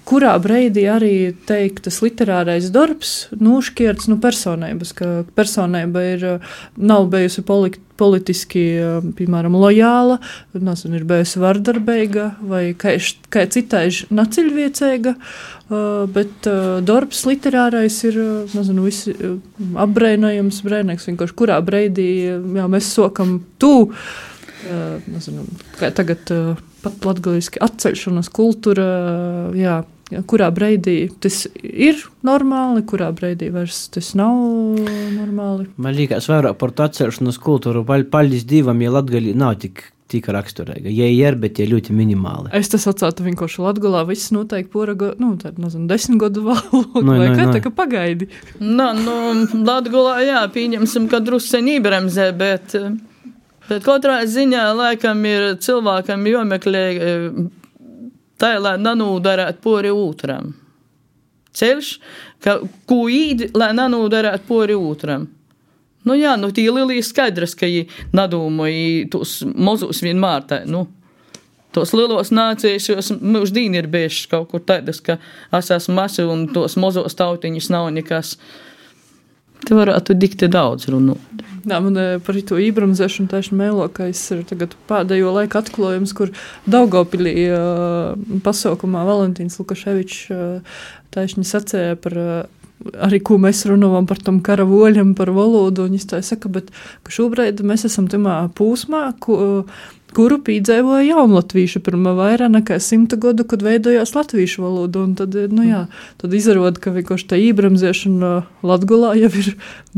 kurā breidī arī teiktas literārais darbs nošķirts nu personības, ka personība ir, nav bijusi politi politiski, piemēram, lojāla, nezinu, ir bijusi vardarbīga vai kā, kā citāži naciļviecīga, bet darbs literārais ir, nezinu, visi apbreinojams, breinīgs, vienkārši kurā breidī, jā, mēs sokam tū, Uh, nezinu, kā tagad uh, pat latgaliski atceļšanas kultūra, uh, jā, kurā breidī tas ir normāli, kurā breidī vairs tas nav normāli. Man liekas, vairāk par to atceļšanas kultūru, paldies Dievam, ja Latgali nav tik tika raksturīga. Ja ir, bet tie ļoti minimāli. Es tas atsātu vienkārši Latgolā, viss noteikti poraga, nu, tāda, nezinu, desmit gadu valogu, no, vai no, kā no. tā, ka pagaidi. Nu, nu, Latgolā, jā, pieņemsim, ka drusceņi iebremzē, bet... Bet katrā ziņā, laikam, ir cilvēkam jomeklē tā, lai nanūdarētu pori otram. Ceļš, ka, ko īdi, lai nanūdarētu pori otram. Nu jā, nu tī lielī skaidrs, ka jī nadūmoja tos mozus vienmēr tā, nu. Tos lielos nācijas, jos mūždīni ir bijušas kaut kur tādas, ka es esmu masi un tos mozos tautiņus nav nekas. Te varētu dikti daudz runāt. Jā, man par to ībremzēšanu tieši mēlo, ka es ir tagad pēdējo laiku atklājums, kur Daugavpilī uh, pasaukumā Valentīns Lukaševičs uh, tieši sacēja par uh, arī, ko mēs runājam par tom kara voļam, par valodu, un viņš tā saka, bet ka šobrīd mēs esam tamā pūsmā, ku, kuru pīdzēvoja jaunlatvīši pirmā vairāk nekā simta gadu, kad veidojās latvīšu valodu, un tad, nu jā, tad izarod, ka vienkārši tā ībremzēšana Latgolā jau ir,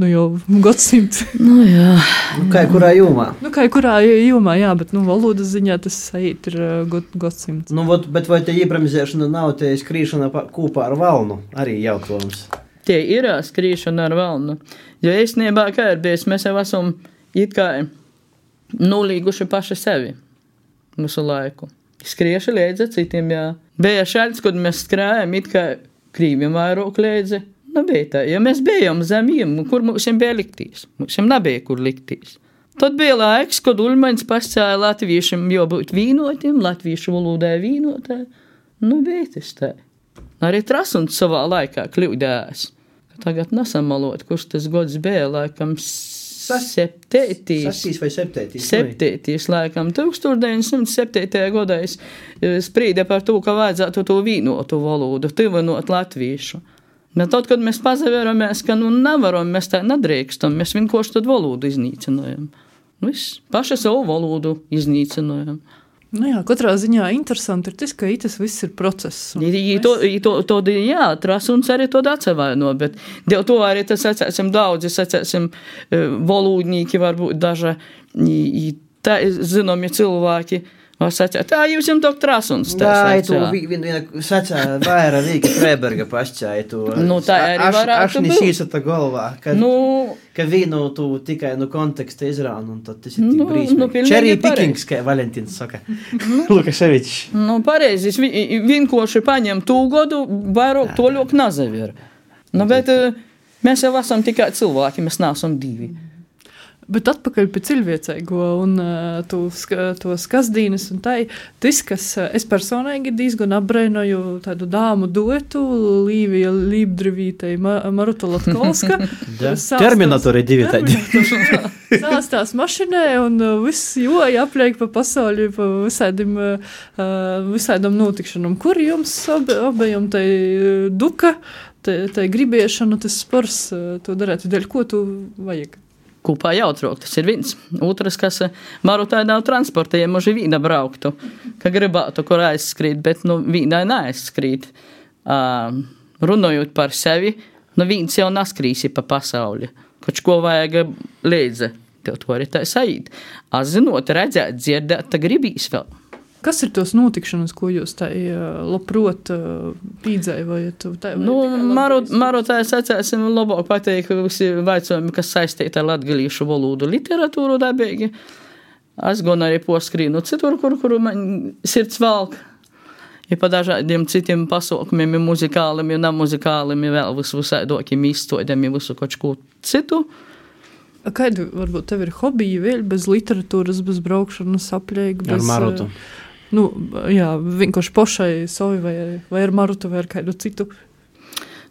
nu jau gadsimts. Nu jā. Nu, kā kurā jūmā? Nu, kā kurā jūmā, jā, bet, nu, valodas ziņā tas sajūt ir god, gadsimts. Nu, vat, bet vai tā ībremzēšana nav te skrīšana kūpā ar valnu? Arī jautājums. Tie ir skrīšana ar valnu. Jo īstenībā, kā ir bijis, mēs jau esam it kā nulīguši paši sevi visu laiku. Skrieši līdzi citiem, jā. Bija šāds, kad mēs skrējam, it kā krīvim vairāk līdzi. Nu, bija tā, ja mēs bijām zemiem, kur mums bija liktīs. Mums nebija, kur liktīs. Tad bija laiks, kad Ulmaņs pascēja latviešiem jābūt vīnotiem, latviešu valodai vīnotai. Nu, bija tas tā. Arī Trasuns savā laikā kļūdējās. Tagad nesamalot, kurš tas gods bija, laikam, septētīs. Sastīs vai septētīs? Septētīs, laikam, tūkstoš deviņsimt septītajā gadā es sprīda par to, ka vajadzētu to vīnotu valodu, tivinot latviešu. Bet tad, kad mēs pazaveramies, ka nu nevaram, mēs tā nedrīkstam, mēs vienkārši tad valodu iznīcinājam. Viss, paši savu valodu iznīcinājam. Nu jā, katrā ziņā interesanti ir tas, ka tas viss ir process. I to, i to, to, jā, Trasuns arī to atsevaino, bet dēļ to arī tas atcēsim daudzi, atcēsim valodnīki, varbūt daži, i, i tā, zinomi cilvēki, var sacēt, tā, jūs jums tok Trasuns. Tā, tu viena sacē, vaira Vīka Freiberga pasķāja to. Nu, tā arī varētu būt. Ašni šīsata galvā, ka, nu, ka vīnu tu tikai no konteksta izrānu, un tad tas ir tik nu, brīsmīgi. Nu, Cherry pickings, kā Valentīns saka. Lukaševičs. Nu, pareizi, vienkārši paņem tū godu, vairāk toļok nazaver. Nu, bet mēs jau esam tikai cilvēki, mēs neesam divi. Bet atpakaļ pie cilvēcīgo un uh, to, to skazdīnes un tai, tas, kas uh, es personīgi diezgan apbreinoju tādu dāmu duetu, Līvija Lībdrivītei, Ma Maruta Latkolska. Terminatori divi tādi. Sāstās mašinē un uh, viss joja apliek pa pasauli, pa visādiem, uh, visādam notikšanam. Kur jums ob, obējam tai uh, duka, tai, tai gribiešana, tas spors, uh, to darētu, dēļ ko tu vajag? Kūpā jautrok, tas ir viens. Otrs, kas Marutai nav transporta, ja muži vīna brauktu, ka gribētu, kur aizskrīt, bet nu vīnai neaizskrīt. Uh, runājot par sevi, nu vīns jau naskrīsi pa pasauli, koč ko vajag līdzi tev to arī tā saīt. Es zinot, redzēt, dzirdēt, tā gribīs vēl. Kas ir tos notikšanas, ko jūs tā labprot pīdzējat? Nu, maru, maru tā es atcēsim labāk pateikt, visi vaicojumi, kas saistīti ar latgalīšu valodu literatūru dabīgi. Es gan arī poskrīnu citur, kur, kur man sirds valk. Ja pa dažādiem citiem pasaukumiem, muzikālim, ja nemuzikālim, ja vēl visu visādokiem izstodiem, ja visu kaut ko citu. Kādi, varbūt, tev ir hobiji vēl bez literatūras, bez braukšanas, apļēgu? Bez, ar Marutu. Nu, jā, vienkārši pošai sovi vai, vai ar Marutu vai ar kādu citu?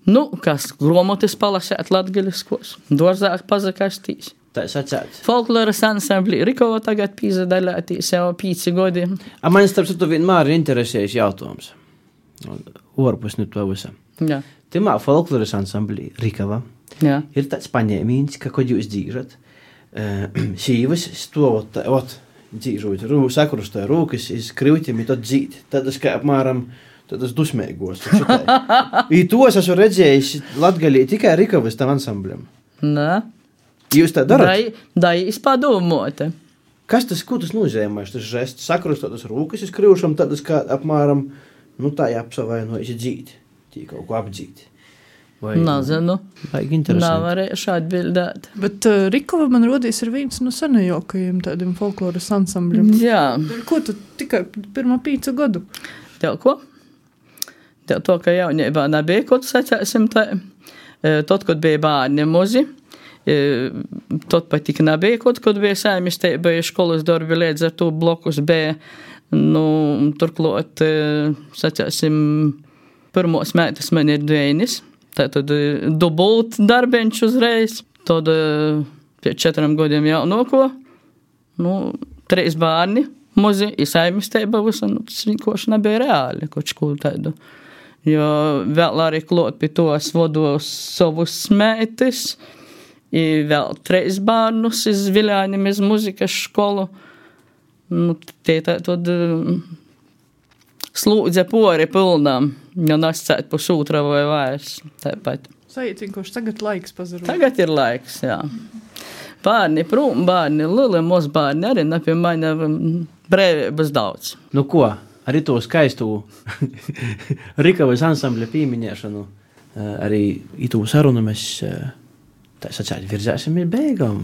Nu, kas gromotis palasēt latgaliskos, dorzāk pazakastīs. Tā es atcētu. Folkloras ansamblī Rikova tagad pīzadaļātīs jau pīci godi. A man starp citu vienmēr ir interesējis jautājums. Orpus nu to visam. Jā. Timā folkloras ansamblī Rikova Jā. Ir tāds paņēmīns, ka, kad jūs dzīžat, uh, sīvas stovot, ot, dzīžot, rū, sakrustoja rūkas, iz krivtiem, i tad dzīt. Tad es kā apmēram, tad es dusmēgos. I tos esmu redzējis Latgalī tikai Rikovas tam ansambļam. Nē. Jūs tā darat? Dai, dai izpadomoti. Kas tas, ko tas nozīmē? Tas žests sakrustot tas rūkas iz krivšam, tad es kā apmēram, nu tā jāapsavainojas dzīt. Tī kaut ko apdzīt. Vai, Nazinu. Vajag interesanti. Nav varējuši atbildēt. Bet uh, Rikova man rodīs ir viens no senajākajiem tādiem folkloras ansambļiem. Jā. Ko tu tikai pirmā pīcu gadu? Tev ko? Tev to, ka jaunībā nebija, ko tu sacēsim tā. Tad, kad bija bērni muzi, tad pat tik nebija, kad, kad bija saimisteiba, bija školas darbi, līdz ar to blokus bija, nu, turklāt, sacēsim, pirmos mētas man ir dveinis, tātad dubult darbiņš uzreiz, tad pēc četriem gadiem jaunoko, nu, trīs bērni, muzi, i saimisteiba visu, nu, tas vienkārši nebija reāli, kaut ko tādu. Jo vēl arī klot pie tos vados savus mētis, i vēl treis bērnus iz Viļānim, iz muzikas školu. Nu, tie tā tad slūdze pori pilnām, jo nascēt pusūtra vai vairs. Tāpat. Sajūt vienkārši tagad laiks pazarot. Tagad ir laiks, jā. Bērni prom, bērni lili, mūs bērni arī nepie mani brēvības daudz. Nu ko? Arī to skaistu Rikavas ansambļa pīmiņēšanu, arī itū sarunu mēs tā sacēt virzēsim ir beigam.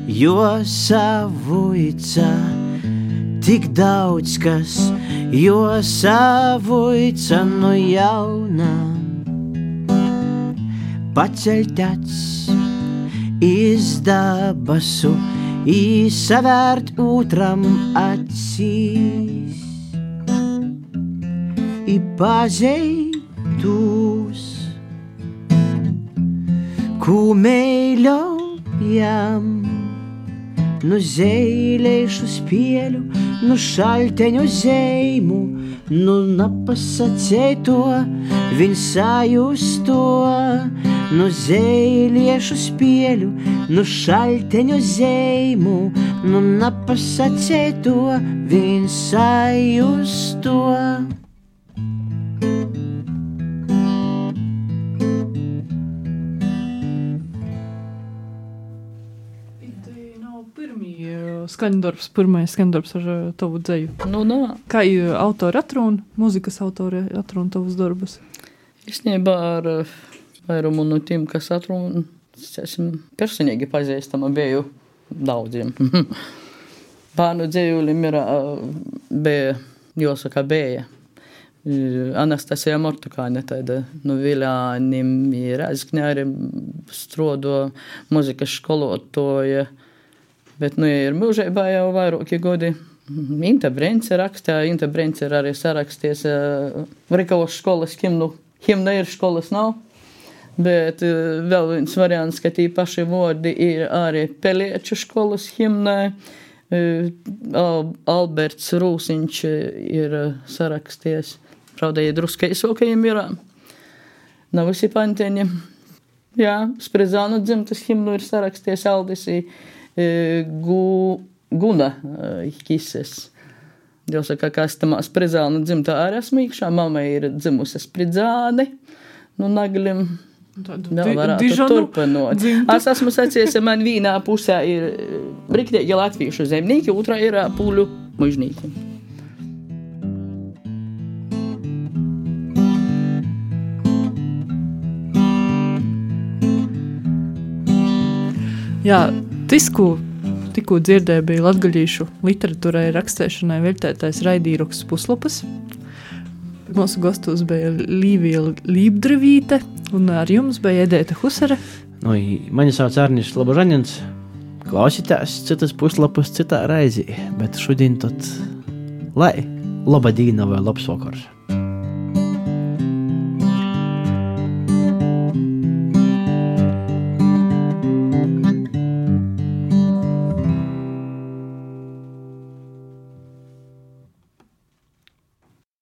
Jo savuica tik daudz kas, jo savuica no jauna paceļ iz dabasu, i savērt otram acīs, i pazeitus, ku meiļojam, nu zeileišu spieļu, nu šalteņu zeimu, nu napasacēto, viņ sajusto, nu zeiliešu spieļu, nu šalteņu zeimu, nu napasacēto, viņ sajusto. Skaņdarbs, pirmais skaņdarbs ar uh, tavu dzeju. Nu, nā. Kā uh, autori atrūna, mūzikas autori atrūna tavus darbus? Īstenībā ar uh, vairumu no tiem, kas atrūna, esam personīgi pazīstama biju daudziem. Bērnu dzejulim ir, uh, bija, jāsaka, bija. Anastasija Mortukāne, tāda no Viļānim, Rēzeknē arī strodo muzikas skolotoja. Bet, nu, ja ir mūžībā jau vairāki godi. Inta Brence rakstā, Inta Brence ir arī saraksties uh, Rikavas školas himnu. Himna ir, školas nav. Bet uh, vēl viens variants, ka tī paši vārdi ir arī Pelieču školas himnai. Uh, Al- Alberts Rūsiņš ir uh, saraksties. Pravda, ja druskai sokajiem ir. Nav visi panteņi. Jā, Spredzānu dzimtas himnu ir saraksties Aldisī. Gu, Guna Kises. Jāsaka, ka es tamā Spredzānu dzimtā arī esmu īkšā. Mama ir dzimusi Spredzāni. Nu, naglim Vēl varētu turpinot. Es esmu sacījis, ka man vienā pusē ir riktīgi latviešu zemnieki, otrā ir pūļu mužnīki. Jā, tisku tikko dzirdēju, bija latgaļīšu literatūrai rakstēšanai veltētais raidījums Puslopas. Mūsu gastos bija Līvija Lībdrevīte, un ar jums bija Edēta Husare. Nu, mani sauc Arnis Slobožaņins. Klausītās citas puslapas citā raizī, bet šodien tad lai laba dīna vai labs vakars.